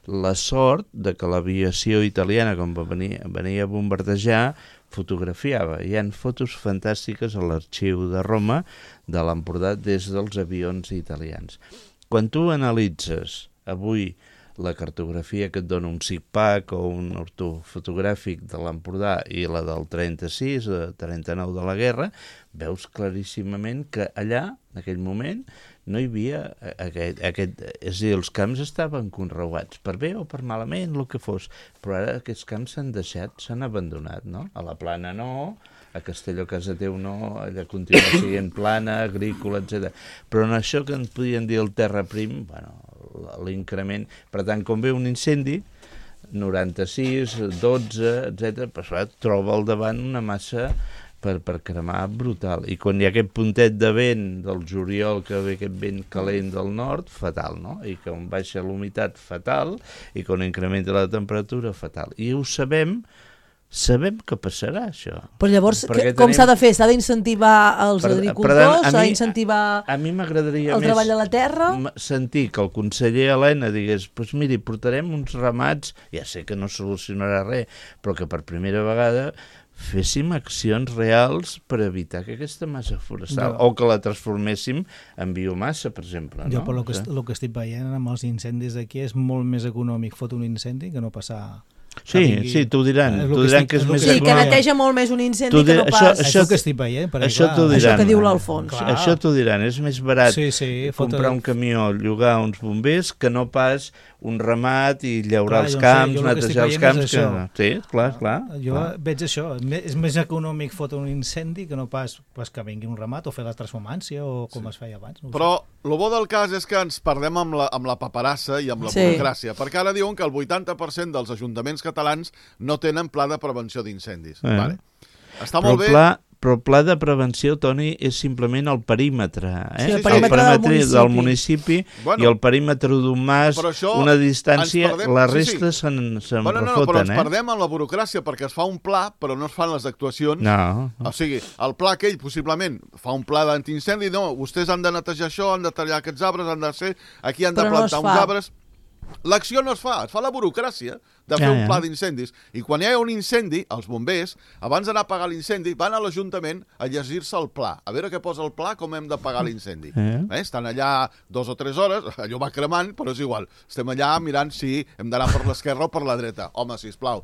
la sort de que l'aviació italiana, quan va venir, venia a bombardejar, fotografiava. Hi ha fotos fantàstiques a l'arxiu de Roma de l'Empordà des dels avions italians. Quan tu analitzes avui la cartografia que et dona un SIGPAC o un ortofotogràfic de l'Empordà i la del trenta-sis, trenta-nou de la guerra, veus claríssimament que allà, en aquell moment, no hi havia aquest, aquest... És a dir, els camps estaven conreuats, per bé o per malament, el que fos, però ara aquests camps s'han deixat, s'han abandonat, no? A la Plana no, a Castelló casa teu no, allà continua sent plana, agrícola, etcètera. Però en això que en podien dir el terra prim, bueno, l'increment, per tant, com ve un incendi, noranta-sis, dotze, etcètera, però troba al davant una massa per, per cremar brutal. I quan hi ha aquest puntet de vent del juliol, que ve aquest vent calent del nord, fatal, no? I quan baixa l'humitat, fatal, i quan incrementa la temperatura, fatal. I ho sabem, sabem que passarà això. Però llavors, que, com tenim... s'ha de fer? S'ha d'incentivar els per, agricultors? S'ha d'incentivar el treball de la terra? Sentir que el conseller Elena digués, doncs miri, portarem uns ramats, ja sé que no solucionarà res, però que per primera vegada féssim accions reals per evitar que aquesta massa forestal, No. o que la transforméssim en biomassa, per exemple. Jo, No? per lo que, O est- sigui, lo que estic veient amb els incendis d'aquí és molt més econòmic fotre un incendi que no passar... Sí, vingui- sí, t'ho diran. És lo T'ho que diran estic- que és és lo més que Sí, estic que econòmic. neteja molt més un incendi Tu que di- no això- pas... Això, això- és el que estic veient, perquè això clar, t'ho Això diran. que diu l'Alfons. Clar. Això t'ho diran, és més barat Sí, sí, fotre- comprar un camió, llogar uns bombers, que no pas un ramat i llaurar Clar, els jo no sé, camps, jo el que estic netejar els veient és camps. això. Que... Sí, clar, clar. Jo clar. veig això, me- és més econòmic fotre un incendi que no pas, pas que vingui un ramat o fer la transformància o com sí. es feia abans. No ho sé. Però el bo del cas és que ens perdem amb la, amb la paperassa i amb la Sí. burocràcia, perquè ara diuen que el vuitanta per cent dels ajuntaments catalans no tenen pla de prevenció d'incendis. Eh. Vale. Està Però el, molt bé... pla, però el pla de prevenció, Toni, és simplement el perímetre. Eh? Sí, el perímetre del municipi. del municipi Bueno, i el perímetre d'un mas, però això una distància, ens perdem- la sí, sí. resta se'n se'n Bueno, no, no, però refoten, ens eh? perdem amb la burocràcia perquè es fa un pla, però no es fan les actuacions. No, O sigui, el pla aquell, possiblement, fa un pla d'antiincendi, no, vostès han de netejar això, han de tallar aquests arbres, han de ser... Aquí han de Però no plantar es uns fa. arbres... L'acció no es fa, es fa la burocràcia de fer Ja, un ja. pla d'incendis. I quan hi ha un incendi, els bombers, abans d'anar a pagar l'incendi, van a l'Ajuntament a llegir-se el pla. A veure què posa el pla, com hem de pagar l'incendi. Eh? Eh? Estan allà dos o tres hores, allò va cremant, però és igual. Estem allà mirant si hem d'anar per l'esquerra o per la dreta. Home, sisplau,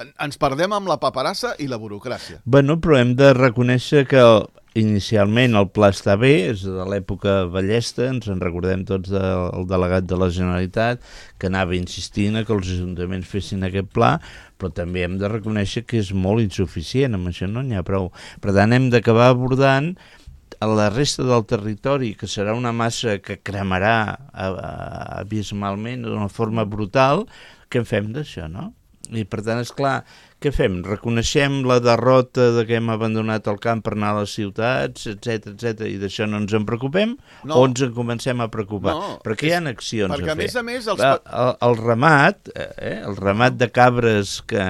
en- ens perdem amb la paperassa i la burocràcia. Bueno, però hem de reconèixer que inicialment el pla està bé, és de l'època ballesta, ens en recordem tots del delegat de la Generalitat, que anava insistint a que els ajuntaments fessin aquest pla, però també hem de reconèixer que és molt insuficient, amb això no n'hi ha prou. Per tant, hem d'acabar abordant a la resta del territori, que serà una massa que cremarà a- a- abismalment d'una forma brutal, què en fem d'això, no? I per tant, és clar, què fem? Reconeixem la derrota de que hem abandonat el camp per anar a les ciutats, etc etc i d'això no ens en preocupem? No. O ens en comencem a preocupar? No, Perquè hi ha accions perquè, a a fer. més a més, els el, el, el ramat, eh, el ramat de cabres que,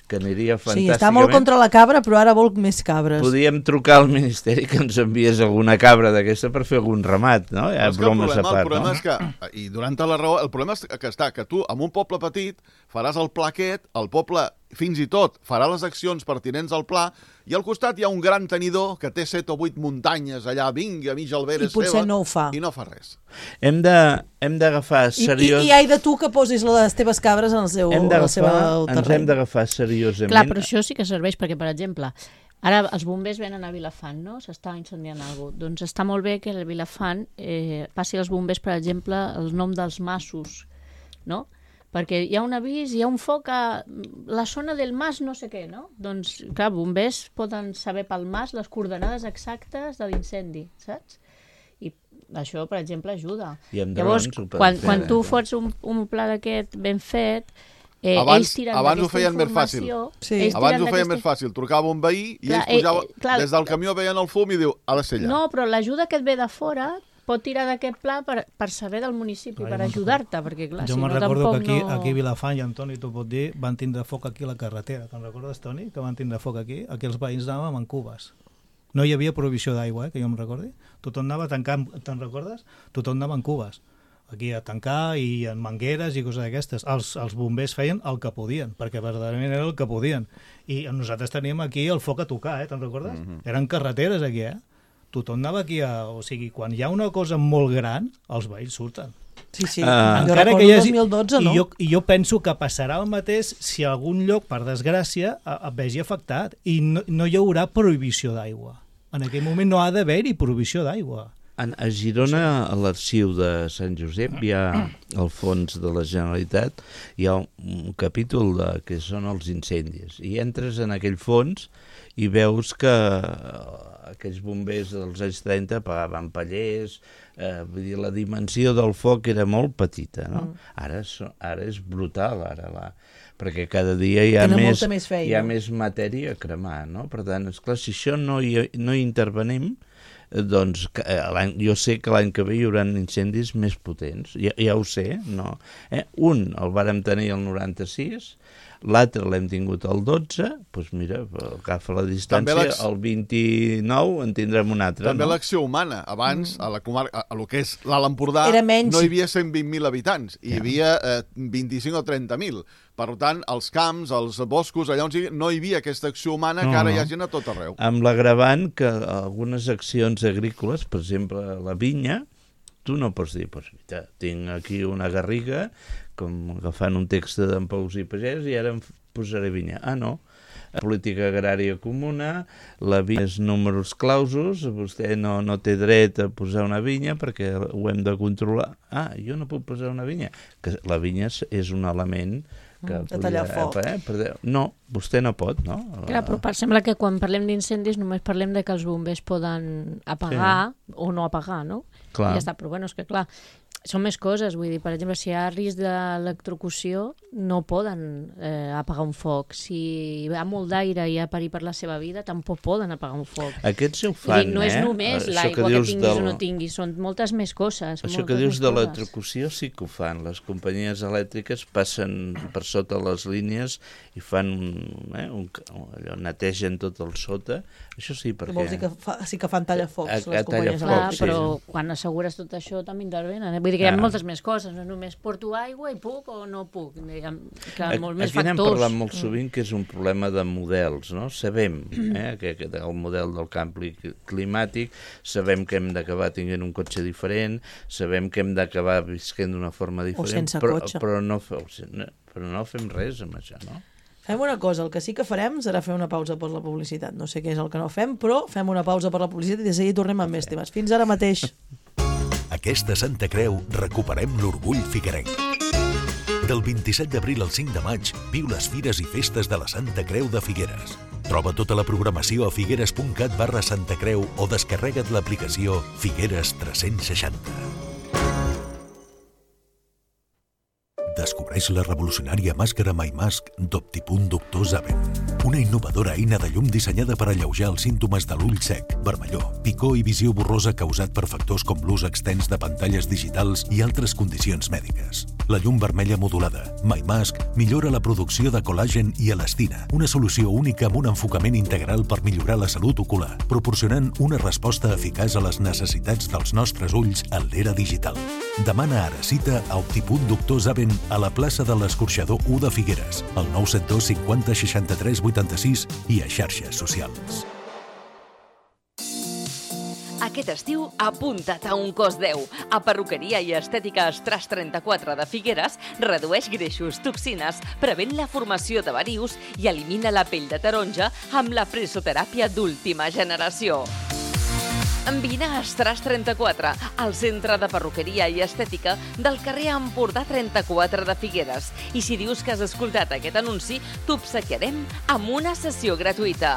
que aniria Sí, fantàsticament... està molt contra la cabra, però ara vol més cabres. Podíem trucar al Ministeri que ens enviés alguna cabra d'aquesta per fer algun ramat, no? Hi ha Però és que el bromes problema, a part, el problema no? és que, i durant la raó, el problema és que està, que tu, en un poble petit, faràs el pla aquest, el poble, fins i tot, farà les accions pertinents al pla, i al costat hi ha un gran tenidor que té set o vuit muntanyes allà, vinga, a mig alberes I potser seva, no ho fa. i no fa res. Hem de- hem d'agafar I, i, seriós... I ai de tu que posis les teves cabres en el seu, hem en el seu d'agafar, ens hem terreny. d'agafar seriosament. Clar, però això sí que serveix, perquè, per exemple, ara els bombers venen a Vilafant, no? S'està incendiant alguna cosa. Doncs està molt bé que a Vilafant eh, passi als bombers, per exemple, el nom dels masos, no? Perquè hi ha un avís, hi ha un foc a la zona del mas no sé què, no? Doncs, clar, bombers poden saber pel mas les coordenades exactes de l'incendi, saps? I això, per exemple, ajuda. I amb Llavors, drons ho poden quan, fer, quan eh? tu fots un, un pla d'aquest ben fet, eh, Abans- ells tiren abans ho d'aquesta feien més fàcil. informació... Sí. ells Abans tiren ho feia d'aquesta- més fàcil, trucava un veí i Clar, ells pujava, eh, eh, clar, des del camió veien el fum i diu, ha de ser allà. No, però l'ajuda que et ve de fora pot tirar d'aquest pla per, per saber del municipi, Clar, per jo me'n ajudar-te, perquè clar, Jo si me'n no recordo tampoc que aquí, no... aquí a Vilafant, i Antoni t'ho pot dir, van tindre foc aquí a la carretera. Te'n recordes, Toni, que van tindre foc aquí? Aquí els veïns anàvem en cubes. No hi havia prohibició d'aigua, eh, que jo em recordi. Tothom anava tancant, te'n recordes? Tothom anava en cubes. Aquí a tancar i en mangueres i coses d'aquestes. Els, els bombers feien el que podien, perquè verdaderament era el que podien. I nosaltres teníem aquí el foc a tocar, eh, te'n recordes? Mm -hmm. Eren carreteres aquí, eh? Tothom anava aquí a... O sigui, quan hi ha una cosa molt gran, els veïns surten. Sí, sí. Ah. Jo Encara recordo que hi hagi- dos mil dotze, no? I jo, I jo penso que passarà el mateix si algun lloc, per desgràcia, a- et vegi afectat. I no, no hi haurà prohibició d'aigua. En aquell moment no ha d'haver-hi prohibició d'aigua. En, a Girona, a l'arxiu de Sant Josep, hi ha al fons de la Generalitat, hi ha un, un capítol de, que són els incendis. I entres en aquell fons i veus que aquells bombers dels anys trenta pagaven pallers, eh, vull dir, la dimensió del foc era molt petita, no? Mm. Ara, so, ara és brutal, ara la... perquè cada dia hi ha, Tenen més, molta més feina. hi ha més matèria a cremar, no? Per tant, esclar, si això no hi, no hi intervenim, doncs jo sé que l'any que ve hi haurà incendis més potents, ja, ja ho sé, no? Eh? Un el vàrem tenir el noranta-sis, l'altre l'hem tingut el dotze, doncs mira, agafa la distància, el vint-i-nou en tindrem un altre. També no? l'acció humana. Abans, a la comarca, a lo que és l'Alt Empordà, menys... no hi havia cent vint mil habitants, hi havia eh, vint-i-cinc o trenta mil. Per tant, els camps, els boscos, allà on sigui, no hi havia aquesta acció humana no, que ara no. hi ha gent a tot arreu. Amb l'agravant que algunes accions agrícoles, per exemple, la vinya, tu no pots dir, pues, mira, tinc aquí una garriga, com agafant un text d'en Pausí Pagès, i ara em posaré vinya. Ah, no. Política agrària comuna, la vinya és números clausos, vostè no, no té dret a posar una vinya perquè ho hem de controlar. Ah, jo no puc posar una vinya. Que la vinya és un element que de tallar foc. Eh, per... No, vostè no pot, no? Clar, però sembla que quan parlem d'incendis només parlem de que els bombers poden apagar sí. o no apagar, no? Clar. I ja està, però bueno, és que clar, són més coses, vull dir, per exemple, si hi ha risc d'electrocució, no poden eh, apagar un foc. Si hi ha molt d'aire i hi ha perill per la seva vida, tampoc poden apagar un foc. Aquests ho fan, dir, no és eh? només Això l'aigua que, que tinguis del... o no tinguis, són moltes més coses. Això que dius de l'electrocució sí que ho fan. Les companyies elèctriques passen per sota les línies i fan un, eh, un, allò, netegen tot el sota. Això sí, perquè... Vols dir que fa, sí que fan tallafocs, a, les a companyies tallafocs, elèctriques. Clar, però sí. Quan assegures tot això també intervenen. Eh? Vull dir que hi ha moltes més coses, no només porto aigua i puc o no puc. Hi ha, que hi ha molt més Aquí n'hem factors. parlat molt sovint que és un problema de models, no? Sabem eh, que, que el model del canvi climàtic, sabem que hem d'acabar tinguent un cotxe diferent, sabem que hem d'acabar visquent d'una forma diferent, o sense però, cotxe. Però, no, però no fem res amb això, no? Fem una cosa, el que sí que farem serà fer una pausa per la publicitat. No sé què és el que no fem, però fem una pausa per la publicitat i de seguida tornem amb més temes. Fins ara mateix. Aquesta Santa Creu recuperem l'orgull figuerenc. Del vint-i-set d'abril al cinc de maig, viu les fires i festes de la Santa Creu de Figueres. Troba tota la programació a figueres punt cat barra Santa Creu o descarrega't l'aplicació Figueres tres-cents seixanta. Descobreix la revolucionària màscara MyMask d'Optipunt Doctor Zaven. Una innovadora eina de llum dissenyada per alleujar els símptomes de l'ull sec, vermellor, picor i visió borrosa causat per factors com l'ús extens de pantalles digitals i altres condicions mèdiques. La llum vermella modulada, MyMask, millora la producció de col·làgen i elastina, una solució única amb un enfocament integral per millorar la salut ocular, proporcionant una resposta eficaç a les necessitats dels nostres ulls en l'era digital. Demana ara cita a Optipunt Doctor Zaven a la plaça de l'Escorxador u de Figueres, al nou set dos cinquanta seixanta-tres vuitanta-sis i a xarxes socials. Aquest estiu, apunta't a un cos deu. A Perruqueria i Estètica Estras trenta-quatre de Figueres redueix greixos, toxines, prevent la formació de varius i elimina la pell de taronja amb la fresoteràpia d'última generació. Vine a Estras trenta-quatre, al centre de perruqueria i estètica del carrer Empordà trenta-quatre de Figueres. I si dius que has escoltat aquest anunci, t'obsequiarem amb una sessió gratuïta.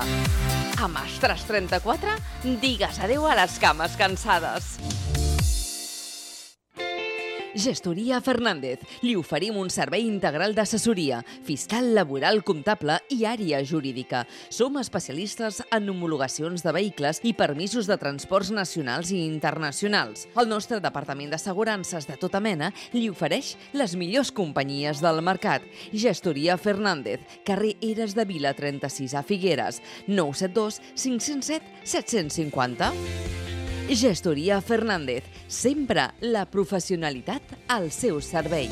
Amb Estras trenta-quatre, digues adeu a les cames cansades. Gestoria Fernández. Li oferim un servei integral d'assessoria, fiscal, laboral, comptable i àrea jurídica. Som especialistes en homologacions de vehicles i permisos de transports nacionals i internacionals. El nostre departament d'assegurances de tota mena li ofereix les millors companyies del mercat. Gestoria Fernández, carrer Eres de Vila trenta-sis a Figueres, nou set dos cinc zero set set cinc zero. Gestoria Fernández, sempre la professionalitat al seu servei.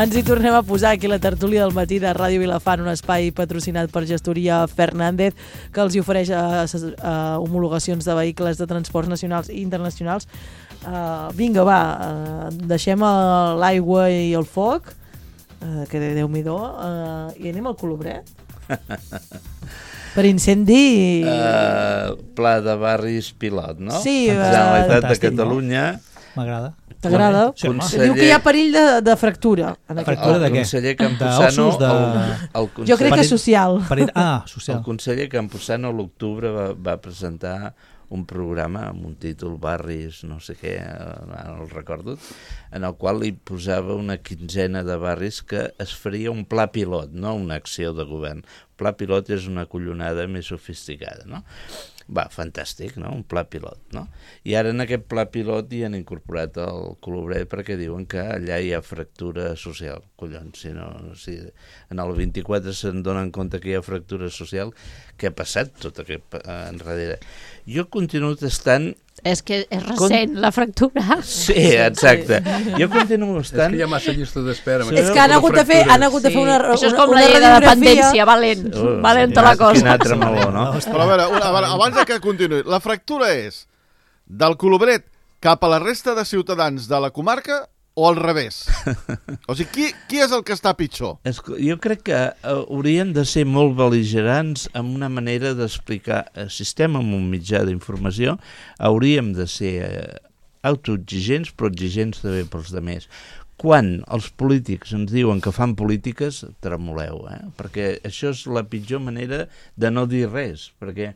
Ens hi tornem a posar aquí la tertúlia del matí de Ràdio Vilafant, un espai patrocinat per Gestoria Fernández, que els hi ofereix a, a homologacions de vehicles de transports nacionals i internacionals. Uh, vinga, va, uh, deixem l'aigua i el foc, uh, que Déu-m'hi-do, uh, i anem al Colobret. Per incendi... Uh, pla de barris pilot, no? Sí, Generalitat uh, de Catalunya. M'agrada. T'agrada? Sí, home. Conseller... Diu que hi ha perill de, de fractura. En Fractura el de què? conseller Campuzano... D'ossos, de... El, el conseller, Jo crec que és social. Perill... Ah, social. El conseller Campuzano a l'octubre va, va presentar un programa amb un títol Barris, no sé què, no el recordo, en el qual hi posava una quinzena de barris que es faria un pla pilot, no una acció de govern. Pla pilot és una collonada més sofisticada, no? Va, fantàstic, no? Un pla pilot, no? I ara en aquest pla pilot hi han incorporat el Colobret perquè diuen que allà hi ha fractura social. Collons, si no... Si en el vint-i-quatre se'n donen compte que hi ha fractura social, què ha passat tot aquest enrere? Jo continuo estant... És que és recent, la fractura. Sí, exacte. Jo continuo estant... És que hi ha massa llista d'espera. Sí. És que han hagut de fer, han hagut de fer una, una, Això és com una la llei de radiografia. dependència, valent, Oh, valent sí, la cosa. Quin altre meló, no? Però a veure, una, a veure, abans de que continuï, la fractura és del Colobret cap a la resta de ciutadans de la comarca o al revés? O sigui, qui, qui és el que està pitjor? És, jo crec que uh, haurien de ser molt bel·ligerants amb una manera d'explicar. Si estem en un mitjà d'informació, hauríem de ser uh, autoexigents, però exigents també pels demés. Quan els polítics ens diuen que fan polítiques, tremoleu, eh? Perquè això és la pitjor manera de no dir res, perquè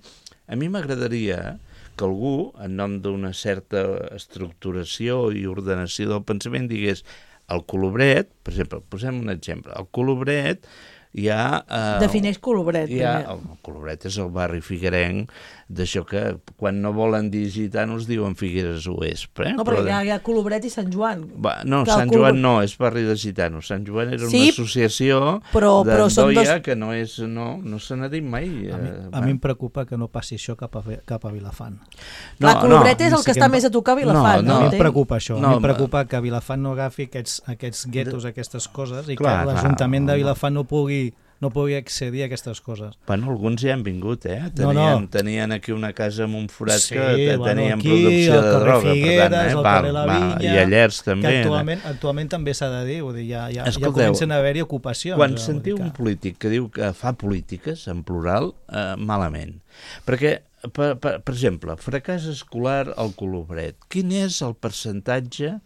a mi m'agradaria que algú, en nom d'una certa estructuració i ordenació del pensament, digués el Colobret, per exemple, posem un exemple, el Colobret hi ha... Eh, Defineix Colobret, hi ha, primer. el Colobret és el barri figuerenc, d'això que quan no volen dir gitanos diuen Figueres Oest. Eh? No, però hi ha, hi ha Colobret i Sant Joan. Va, no, Que el Sant Colobret- Joan no, és barri de gitanos. Sant Joan era Sí, una associació però- però són d'Andoia dos- que no és, no, no se n'ha dit mai. A mi, eh, a mi em preocupa que no passi això cap a, cap a Vilafant. No, la Colobret no, és el sí que que està em- més a tocar a Vilafant. No, No, a mi em entenc? preocupa això. No, a mi em preocupa que Vilafant no agafi aquests, aquests guetos, aquestes coses, i Clar, que clar, l'Ajuntament de home. Vilafant no pugui, no pugui accedir a aquestes coses. Bueno, alguns ja han vingut, eh? No, Tenien, no. tenien aquí una casa amb un forat Sí, que te- bueno, tenien aquí, producció al de carrer droga. Figueres, per tant, eh? al val, carrer La val. Vinya, I a Llers també. Que eh? actualment, actualment també s'ha de dir, vull dir ja, ja, ja Escolteu, comencen a haver-hi ocupacions. Quan eh, vull sentiu dir un que- polític que diu que fa polítiques, en plural, eh, malament. Perquè, per, per, per exemple, fracàs escolar al Colobret. Quin és el percentatge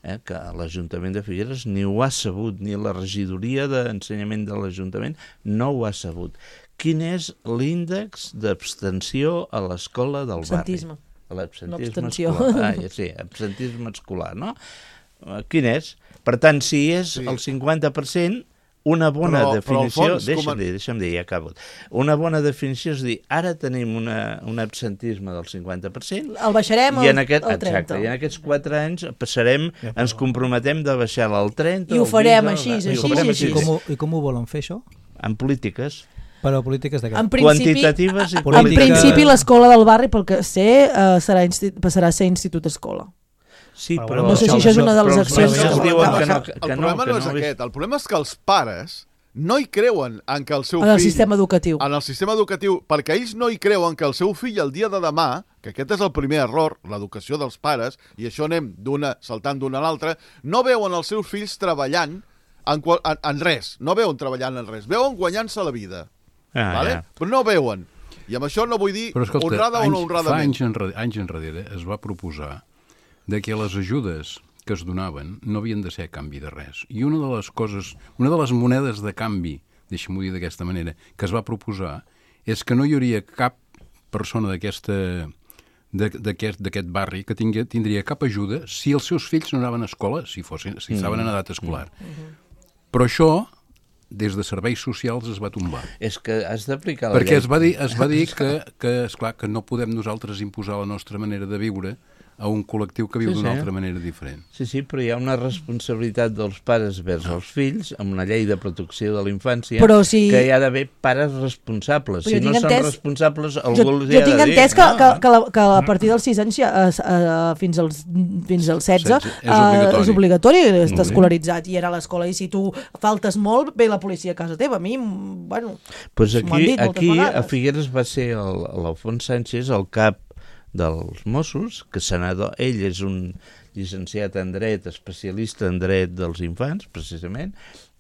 eh, que l'Ajuntament de Figueres ni ho ha sabut, ni la regidoria d'ensenyament de l'Ajuntament no ho ha sabut? Quin és l'índex d'abstenció a l'escola del barri? Absentisme. L'absentisme No abstenció. escolar. Ah, ja sí, absentisme escolar, no? Eh, Quin és? Per tant, si és Sí. el cinquanta per cent, una bona Però- però, definició... Alfons, deixa'm com a- dir, deixa'm dir, ja acabo. Una bona definició és dir, ara tenim una, un absentisme del cinquanta per cent El baixarem i en al, aquest, al trenta. exacte, i en aquests quatre anys passarem, ens comprometem de baixar al trenta... I ho al farem quinze, així, i ho així, farem així. I com, ho, I com ho volen fer, això? En polítiques. Però polítiques de què? En principi, Quantitatives i en política- principi l'escola del barri, pel que sé, eh, serà insti passarà a ser institut-escola. Sí, Però però... bueno, No sé si això és una de les però els accions mestres que- diuen el, que no, el que problema no, que no és no, aquest. El problema és que els pares no hi creuen en que el seu En el fill... sistema educatiu. En el sistema educatiu, perquè ells no hi creuen que el seu fill el dia de demà, que aquest és el primer error, l'educació dels pares, i això anem d'una saltant d'una a l'altra, no veuen els seus fills treballant en, qual, en, en res, no veuen treballant en res, veuen guanyant-se la vida, Ah, vale? ja. Però no veuen. I amb això no vull dir Però escolta, honrada anys, o no fa honradament. anys enrere, anys enrere es va proposar de que les ajudes que es donaven no havien de ser a canvi de res. I una de les coses, una de les monedes de canvi, deixa'm-ho dir d'aquesta manera, que es va proposar és que no hi hauria cap persona d'aquesta d'aquest d'aquest barri que tingui, tindria cap ajuda si els seus fills no anaven a escola, si, fossin, si estaven en edat escolar. Però això, des de serveis socials, es va tombar. És que has d'aplicar la Perquè llei. es va dir, es va dir que, que, esclar, que no podem nosaltres imposar la nostra manera de viure a un col·lectiu que viu Sí, d'una sí. altra manera diferent. Sí, sí, però hi ha una responsabilitat dels pares vers els fills amb una llei de protecció de la infància Però si- que hi ha d'haver pares responsables. Però Si jo no tinc són entès- responsables, algú Jo, els hi jo ha tinc de dir. entès que, no? que, que, la, que a partir dels sis anys ja, eh, eh, fins, als, fins als setze setze, és eh, obligatori. és obligatori estar Molt bé. escolaritzat i era a l'escola, i si tu faltes molt ve la policia a casa teva. A mi, mm, bueno, Pues m'ho han aquí, dit moltes aquí a vegades. Figueres va ser el- l'Alfons Sánchez, el cap dels Mossos, que senador, ell és un llicenciat en dret, especialista en dret dels infants, precisament,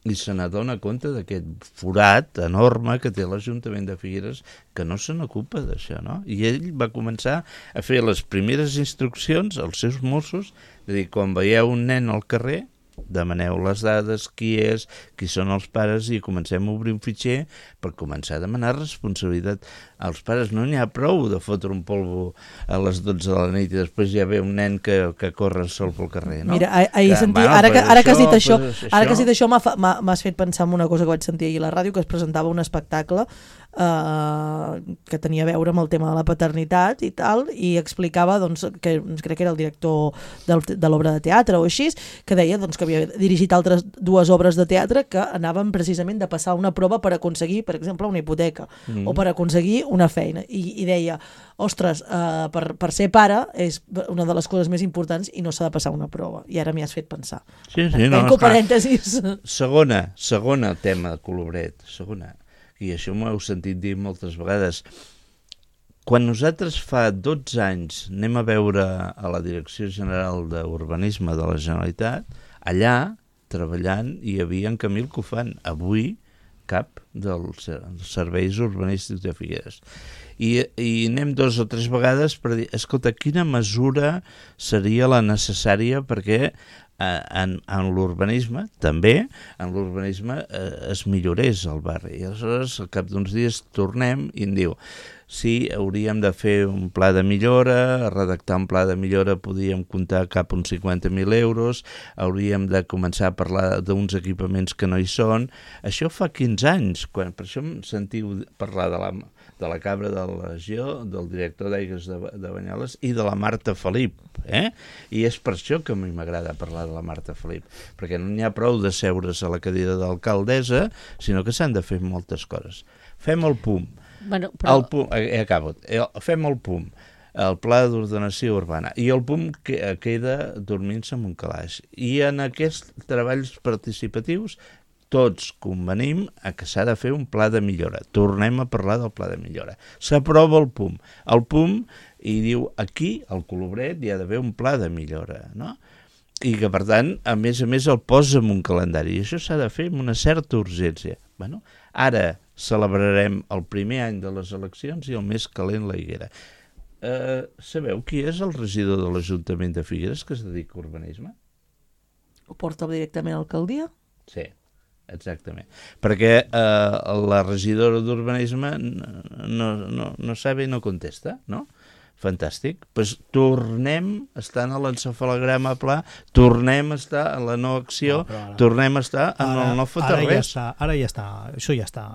i se n'adona compte d'aquest forat enorme que té l'Ajuntament de Figueres, que no se n'ocupa d'això, no? I ell va començar a fer les primeres instruccions als seus Mossos, de dir, quan veieu un nen al carrer, demaneu les dades, qui és, qui són els pares, i comencem a obrir un fitxer per començar a demanar responsabilitat als pares. No n'hi ha prou de fotre un polvo a les dotze de la nit i després ja ve un nen que, que corre sol pel carrer, no? Mira, ahir que, sentia, bueno, ara, que, ara que has dit això, pues, ara que has dit això m'has fet pensar en una cosa que vaig sentir ahir a la ràdio, que es presentava un espectacle Uh, que tenia a veure amb el tema de la paternitat i tal, i explicava, doncs, que crec que era el director del, de l'obra de teatre o així, que deia doncs, que havia dirigit altres dues obres de teatre que anaven precisament de passar una prova per aconseguir, per exemple, una hipoteca mm. o per aconseguir una feina, i, i deia, ostres, uh, per, per ser pare és una de les coses més importants i no s'ha de passar una prova, i ara m'hi has fet pensar. Sí, sí, no, Tanco parèntesis. Segona, segona tema de Colobret, segona, i això m'ho heu sentit dir moltes vegades. Quan nosaltres fa dotze anys anem a veure a la Direcció General d'Urbanisme de la Generalitat, allà, treballant, hi havia en Camil Cofan, avui cap dels serveis urbanístics de Figueres. I, i anem dos o tres vegades per dir, escolta, quina mesura seria la necessària perquè en, en l'urbanisme, també, en l'urbanisme eh, es millorés el barri. I aleshores, al cap d'uns dies, tornem i em diu, sí, hauríem de fer un pla de millora, redactar un pla de millora, podríem comptar cap uns cinquanta mil euros, hauríem de començar a parlar d'uns equipaments que no hi són. Això fa quinze anys, quan, per això em sentiu parlar de la, de la Cabra de la Legió, del director d'Aigües de, de Banyoles i de la Marta Felip, eh? I és per això que a mi m'agrada parlar de la Marta Felip, perquè no n'hi ha prou de seure's a la cadira d'alcaldessa, sinó que s'han de fer moltes coses. Fem el P U M. Bueno, però... El P U M, eh, acabo. Fem el P U M, el Pla d'Ordenació Urbana, i el P U M que, queda dormint-se en un calaix. I en aquests treballs participatius tots convenim a que s'ha de fer un pla de millora. Tornem a parlar del pla de millora. S'aprova el P U M. El P U M i diu, aquí, al Colobret, hi ha d'haver un pla de millora, no? I que, per tant, a més a més, el posa en un calendari. I això s'ha de fer amb una certa urgència. Bueno, ara celebrarem el primer any de les eleccions i el més calent la higuera. Eh, sabeu qui és el regidor de l'Ajuntament de Figueres que es dedica a urbanisme? Ho porta directament a l'alcaldia? Sí, exactament. Perquè eh, la regidora d'urbanisme no, no, no sabe i no contesta, no? Fantàstic. Pues tornem a estar en l'encefalograma pla, tornem a estar en la no acció, no, ara, tornem a estar en ara, el no fotre ara res. Ja està, ara ja està, això ja està,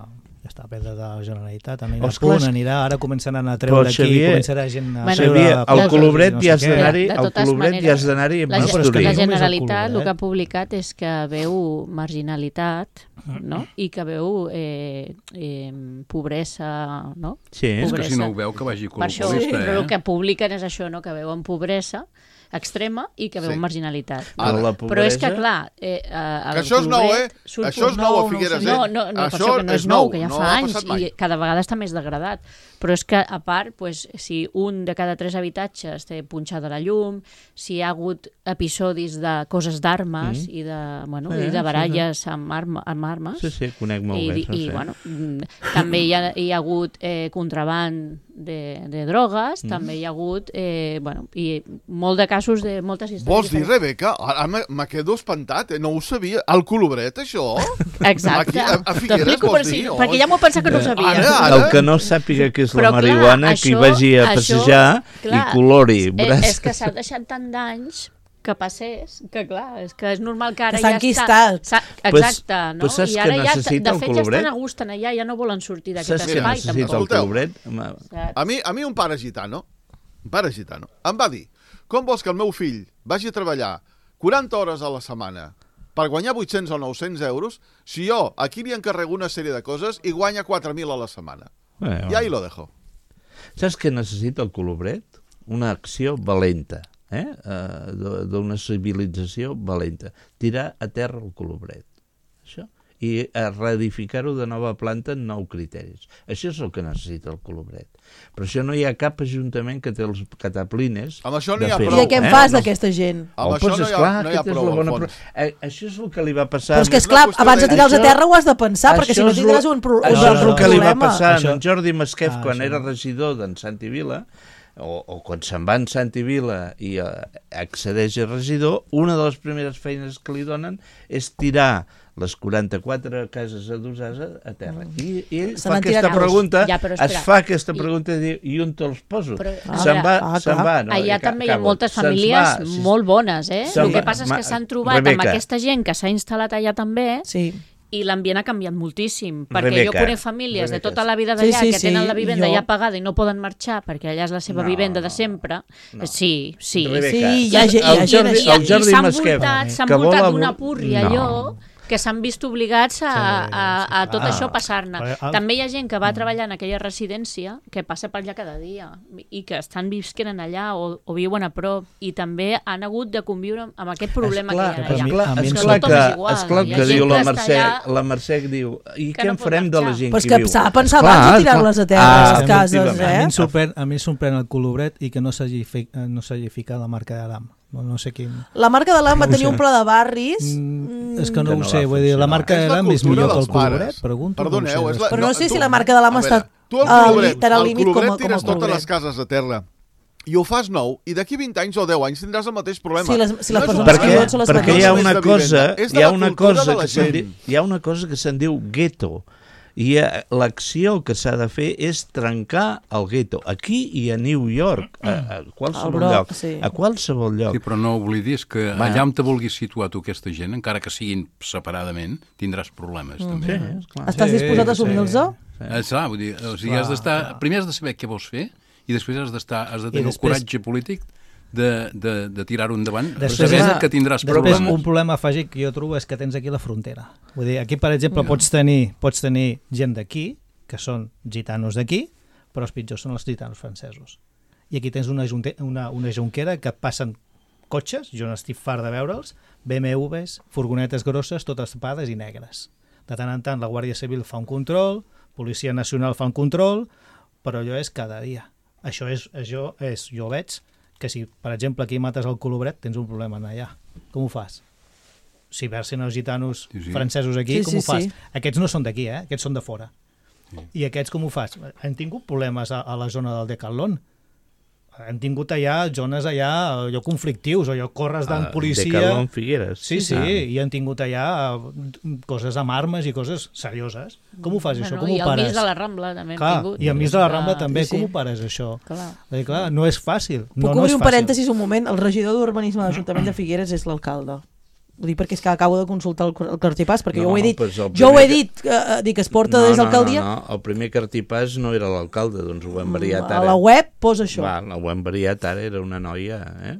ja està a pedra de la Generalitat, anirà Os a punt, clar, anirà, ara començaran a treure aquí, Xavier, començarà gent a bueno, seure... Xavier, al Colobret no ja has sé d'anar-hi, De al totes Colobret maneres, ja has d'anar-hi amb La, bisturí. la només el Generalitat el Colobret. que ha publicat és que veu marginalitat, no? I que veu eh, eh, pobresa, no? Sí, És Pobresa. que si no ho veu, que vagi Per això, colpolista, però eh? el que publiquen és això, no? Que veuen pobresa extrema i que veuen Sí. marginalitat. Però la Però és que, pobresa- clar... Eh, a, Que això és nou, eh? surt Això és nou a Figueres, no, eh? no, no, per Això això que no és és nou, nou, que ja no fa ha anys passat mai. i cada vegada està més degradat. Però és que, a part, pues, si un de cada tres habitatges té punxada la llum, si hi ha hagut episodis de coses d'armes Mm. i de, bueno, Sí, i sí, de baralles amb, arma, amb armes, Sí, sí, conec molt i, bé. i, no i sé. bueno, mm, també hi ha, hi ha hagut eh, contraband de, de drogues, mm. també hi ha hagut eh, bueno, i molt de casos de moltes històries. Vols dir, diferents. Rebeca? Ara me, me quedo espantat, eh? No ho sabia. Al Colobret, això? Exacte. Aquí, a, a Figueres, T'explico vols per si, dir? perquè ja m'ho he pensat que no ho sabia. Ara, ara. El que no sàpiga què és Però, la clar, marihuana, que hi això- vagi a això, passejar clar, i colori. Eh, Veuràs és que s'ha deixat tant d'anys que passés, que clar, és que és normal que ara Que s'ha ja enquistat. està... Pues- Exacte, no? pues saps I ara què ja, necessita de el fet, ja Colobret? estan a gust en allà, ja no volen sortir d'aquest Saps què espai. necessita el tampoc. Escolteu. Colobret? Home, Saps? A mi, a mi un pare gitano, un pare gitano, em va dir, com vols que el meu fill vagi a treballar quaranta hores a la setmana per guanyar vuit-cents o nou-cents euros si jo aquí li encarrego una sèrie de coses i guanya quatre mil a la setmana? Bueno. I ahí lo dejo. saps què necessita el Colobret? Una acció valenta, eh? Uh, d'una civilització valenta. Tirar a terra el Colobret. Això. i a reedificar-ho de nova planta en nou criteris. Això és el que necessita el Colobret. Però això no hi ha cap ajuntament que té els cataplines amb això no de hi ha fer-ho. prou. I què en eh? fas d'aquesta gent? Amb Oh, això doncs, no hi ha, esclar, no hi ha aquesta és prou, la bona al pro- fons. Eh, això és el que li va passar... Però és que, és una esclar, qüestió abans de de- tirar-los a Això- terra ho has de pensar, perquè si no és tindràs lo- un, pro un Això és el que li va problema. passar Això- en Jordi Masquef Ah, quan això. era regidor d'en Santi Vila, o, o quan se'n va en Santi Vila i eh, accedeix a regidor, una de les primeres feines que li donen és tirar les quaranta-quatre cases adossades a, a terra. I, i ell Se fa n'han tirat aquesta molts. pregunta, Ja, però es espera. fa aquesta I- pregunta i diu, i on te'ls poso? Però, Se'n va, ah, se'n clar. va. No? Allà I ca- també hi ha acabo. moltes Se'ns famílies va, si- molt bones, eh? Se'n El que va- passa és ma- que s'han trobat Rebeca. amb aquesta gent que s'ha instal·lat allà també Sí. i l'ambient ha canviat moltíssim, perquè Rebeca, jo conec famílies de Rebeca. tota la vida Sí, d'allà sí, que tenen sí, la vivenda jo- ja pagada i no poden marxar perquè allà és la seva No, vivenda de no, sempre. no. Sí, sí. Rebeca, Sí, hi ha gent- hi ha el gent Jordi, així. I, el Jordi i s'han Masquef, voltat, s'han que vol voltat abor- d'una púrria No. allò que s'han vist obligats a, a, a, a tot Ah, això passar-ne. però, ah, També hi ha gent que va treballar en aquella residència que passa per allà cada dia i que estan visquent allà o, o viuen a prop i també han hagut de conviure amb aquest problema Esclar, que hi ha però a mi- allà. a mi esclar, em esclar tothom que, és igual. esclar Hi ha que gent diu la que està Mercè, allà la Mercè diu, i que què no en pot farem de la marxar. gent Però és que que viu? s'ha de pensar Esclar, abans de esclar. tirar-les a terra, Ah, les cases, efectivament. A mi eh? em sorprèn, a mi em sorprèn el Colobret i que no s'hagi fi- eh, no s'hagi ficat la marca de l'A M. No, no sé quin... La marca de l'A M va No ho tenir sé. un pla de barris... Mm, és que Que no, no ho sé, va vull dir, la funcionar. marca de És la l'A M és cultura millor que el dels pares. Colobret, pregunto. Perdoneu, no ho és sé. la... Però no sé si la tu- marca de l'A M a està veure, tu al al- Colobret, tan al al límit com a- Colobret com a tires totes Colobret. les cases a terra i ho fas nou, i d'aquí vint anys o deu anys tindràs el mateix problema. Sí, les- si les és un persones perquè, que viuen són les perquè hi mateixes. ha no és una de cosa, vivenda, és de hi ha la una cultura cosa de la que se'n gent. di- hi ha una cosa que se'n diu gueto, i eh, l'acció que s'ha de fer és trencar el gueto, aquí i a New York, a, a qualsevol Al Bronx, lloc, sí. a qualsevol lloc. Sí, però no oblidis que Va. allà on te vulguis situar tu aquesta gent, encara que siguin separadament, tindràs problemes, també. Sí, esclar. Estàs Sí, disposat a sí. assumir-los? Eh, clar, vull dir, o sigui, has d'estar... Primer has de saber què vols fer i després has d'estar, has de tenir després- el coratge polític de, de, de tirar-ho endavant, Després- sabent que tindràs Després, problemes. un problema afegit que jo trobo és que tens aquí la frontera. Vull dir, aquí, per exemple, pots tenir, pots tenir gent d'aquí, que són gitanos d'aquí, però els pitjors són els gitanos francesos. I aquí tens una, junte, una, una jonquera que passen cotxes, jo n'estic fart de veure'ls, B M Ws, furgonetes grosses, totes tapades i negres. De tant en tant la Guàrdia Civil fa un control, Policia Nacional fa un control, però allò és cada dia. Això és, això és jo veig que si, per exemple, aquí mates el Colobret, tens un problema en allà. Com ho fas? Si versen els gitanos Sí, sí. francesos aquí, Sí, com sí, ho fas? sí. Aquests no són d'aquí, eh? Aquests són de fora. I aquests com ho fas? Han tingut problemes a, a la zona del Decathlon. Han tingut allà zones allà, allò conflictius, allò corres d'en Ah, policia... Decathlon Figueres. Sí, sí, Ah. i han tingut allà eh, coses amb armes i coses serioses. Com ho fas, això? Com I ho el pares? mig de la Rambla també hem Clar, tingut. i a mig de la Rambla també, sí, sí. com ho pares, això? Clar. Perquè, clar, no és fàcil. Puc no, no obrir és un fàcil. parèntesis un moment? El regidor d'Urbanisme de l'Ajuntament de Figueres és l'alcalde. Ho dic perquè és que acabo de consultar el, el cartipàs, perquè No, jo ho he dit, pues el jo ho he primer dit, eh, dic, es porta no, des no, d'alcaldia, No, no, el primer cartipàs no era l'alcalde, doncs ho hem variat a ara. la web posa això. Va, ho hem variat ara, era una noia, eh?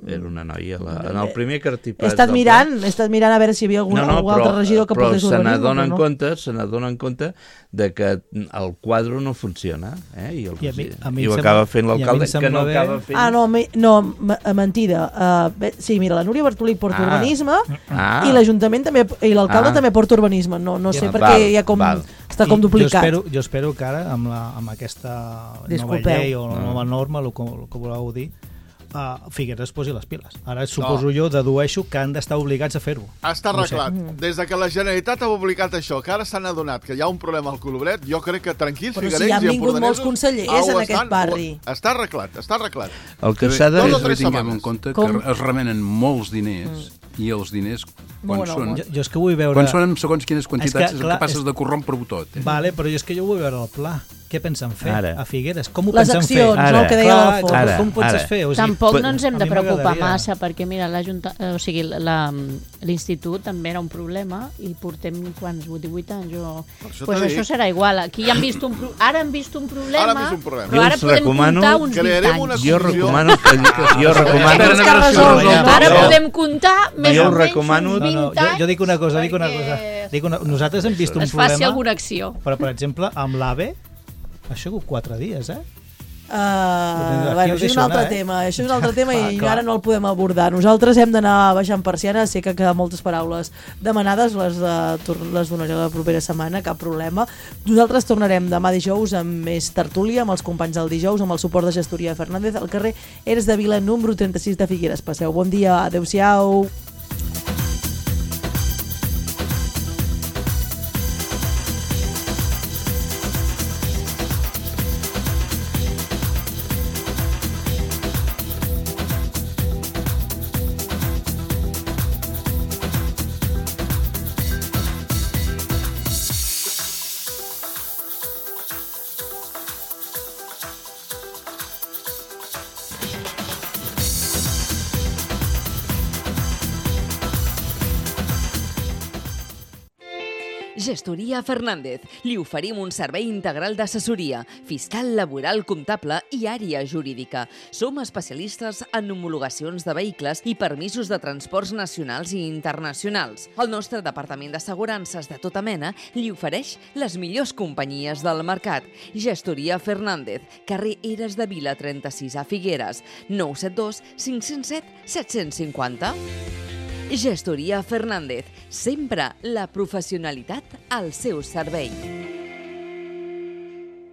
Era una noia. La... En el primer cartipàs... He estat del mirant, he estat mirant a veure si hi havia algun, no, no, algun però, altre regidor que però portés se urbanisme. n'adonen però no. compte, se n'adonen compte de que el quadre no funciona, eh? I, el, I a mi- a mi i em ho sembla- acaba fent i a mi em l'alcalde, que sembla no bé. acaba fent... Ah, no, me, no me- mentida. Uh, bé, sí, mira, la Núria Bartolí porta Ah. urbanisme Ah. i l'Ajuntament també, i l'alcalde Ah. també porta urbanisme. No, no sé Ja, per val, què hi ha com, val. està com I duplicat. Jo espero, jo espero que ara, amb, la, amb aquesta Disculpeu. nova llei o la Mm. nova norma, el que, el que voleu dir, uh, Figueres es posi les piles. Ara suposo jo, dedueixo que han d'estar obligats a fer-ho. Està No ho sé. arreglat. Des de que la Generalitat ha publicat això, que ara s'han adonat que hi ha un problema al Colobret, jo crec que tranquils, Però si figuerencs han i vingut empordanesos... molts consellers ah, ho en aquest estan, barri. ho- Està arreglat, està arreglat. El que També- s'ha de... Dos o També tres tinguem setmanes. en compte Com? que es remenen molts diners i els diners, quan Bueno, són... bueno. Jo, jo és que vull veure... Quan són en segons quines quantitats, És és, que, el clar, que passes és- de corrompre-ho tot. Eh? Vale, però jo és que jo vull veure el pla. Què pensen fer Ara. a Figueres? Com ho Les pensen accions, fer? Ara. no, el que deia Clar, l'Alfons. ara. com ho penses fer? O sigui, Tampoc pot- no ens hem a de mi preocupar m'agradaria. massa, perquè mira, l'Ajunta... o sigui, la- l'institut també era un problema i portem quants, divuit anys o... això Pues t'ho això dic. serà igual. Aquí han vist un pro... Ara han vist un problema, Ara han vist un problema. però Jo ara us podem recomano- comptar uns vint Crearem una anys. Jo comissió. recomano... Que, jo recomano... Tens que resoldre, no? Ara Jo- podem comptar més Jo o menys recomano- uns No, vint no, jo, anys jo dic una cosa, dic una perquè cosa. Dic una, nosaltres hem vist un es faci problema, alguna acció. però per exemple, amb l'AVE, això ha sigut quatre dies, eh? Uh, bueno, això és un altre eh? tema, això és un altre tema i ara no el podem abordar. Nosaltres hem d'anar baixant persiana, sé que queden moltes paraules demanades, les, de, les donaré la propera setmana, cap problema. Nosaltres tornarem demà dijous amb més tertúlia, amb els companys del dijous, amb el suport de Gestoria Fernández, al carrer Eres de Vila, número trenta-sis de Figueres. Passeu bon dia, adeu-siau. Gestoria Fernández. Li oferim un servei integral d'assessoria, fiscal, laboral, comptable i àrea jurídica. Som especialistes en homologacions de vehicles i permisos de transports nacionals i internacionals. El nostre departament d'assegurances de tota mena li ofereix les millors companyies del mercat. Gestoria Fernández, carrer Eres de Vila trenta-sis a Figueres, nou set dos cinc zero set set cinc zero. Gestoria Fernández, sempre la professionalitat al seu servei.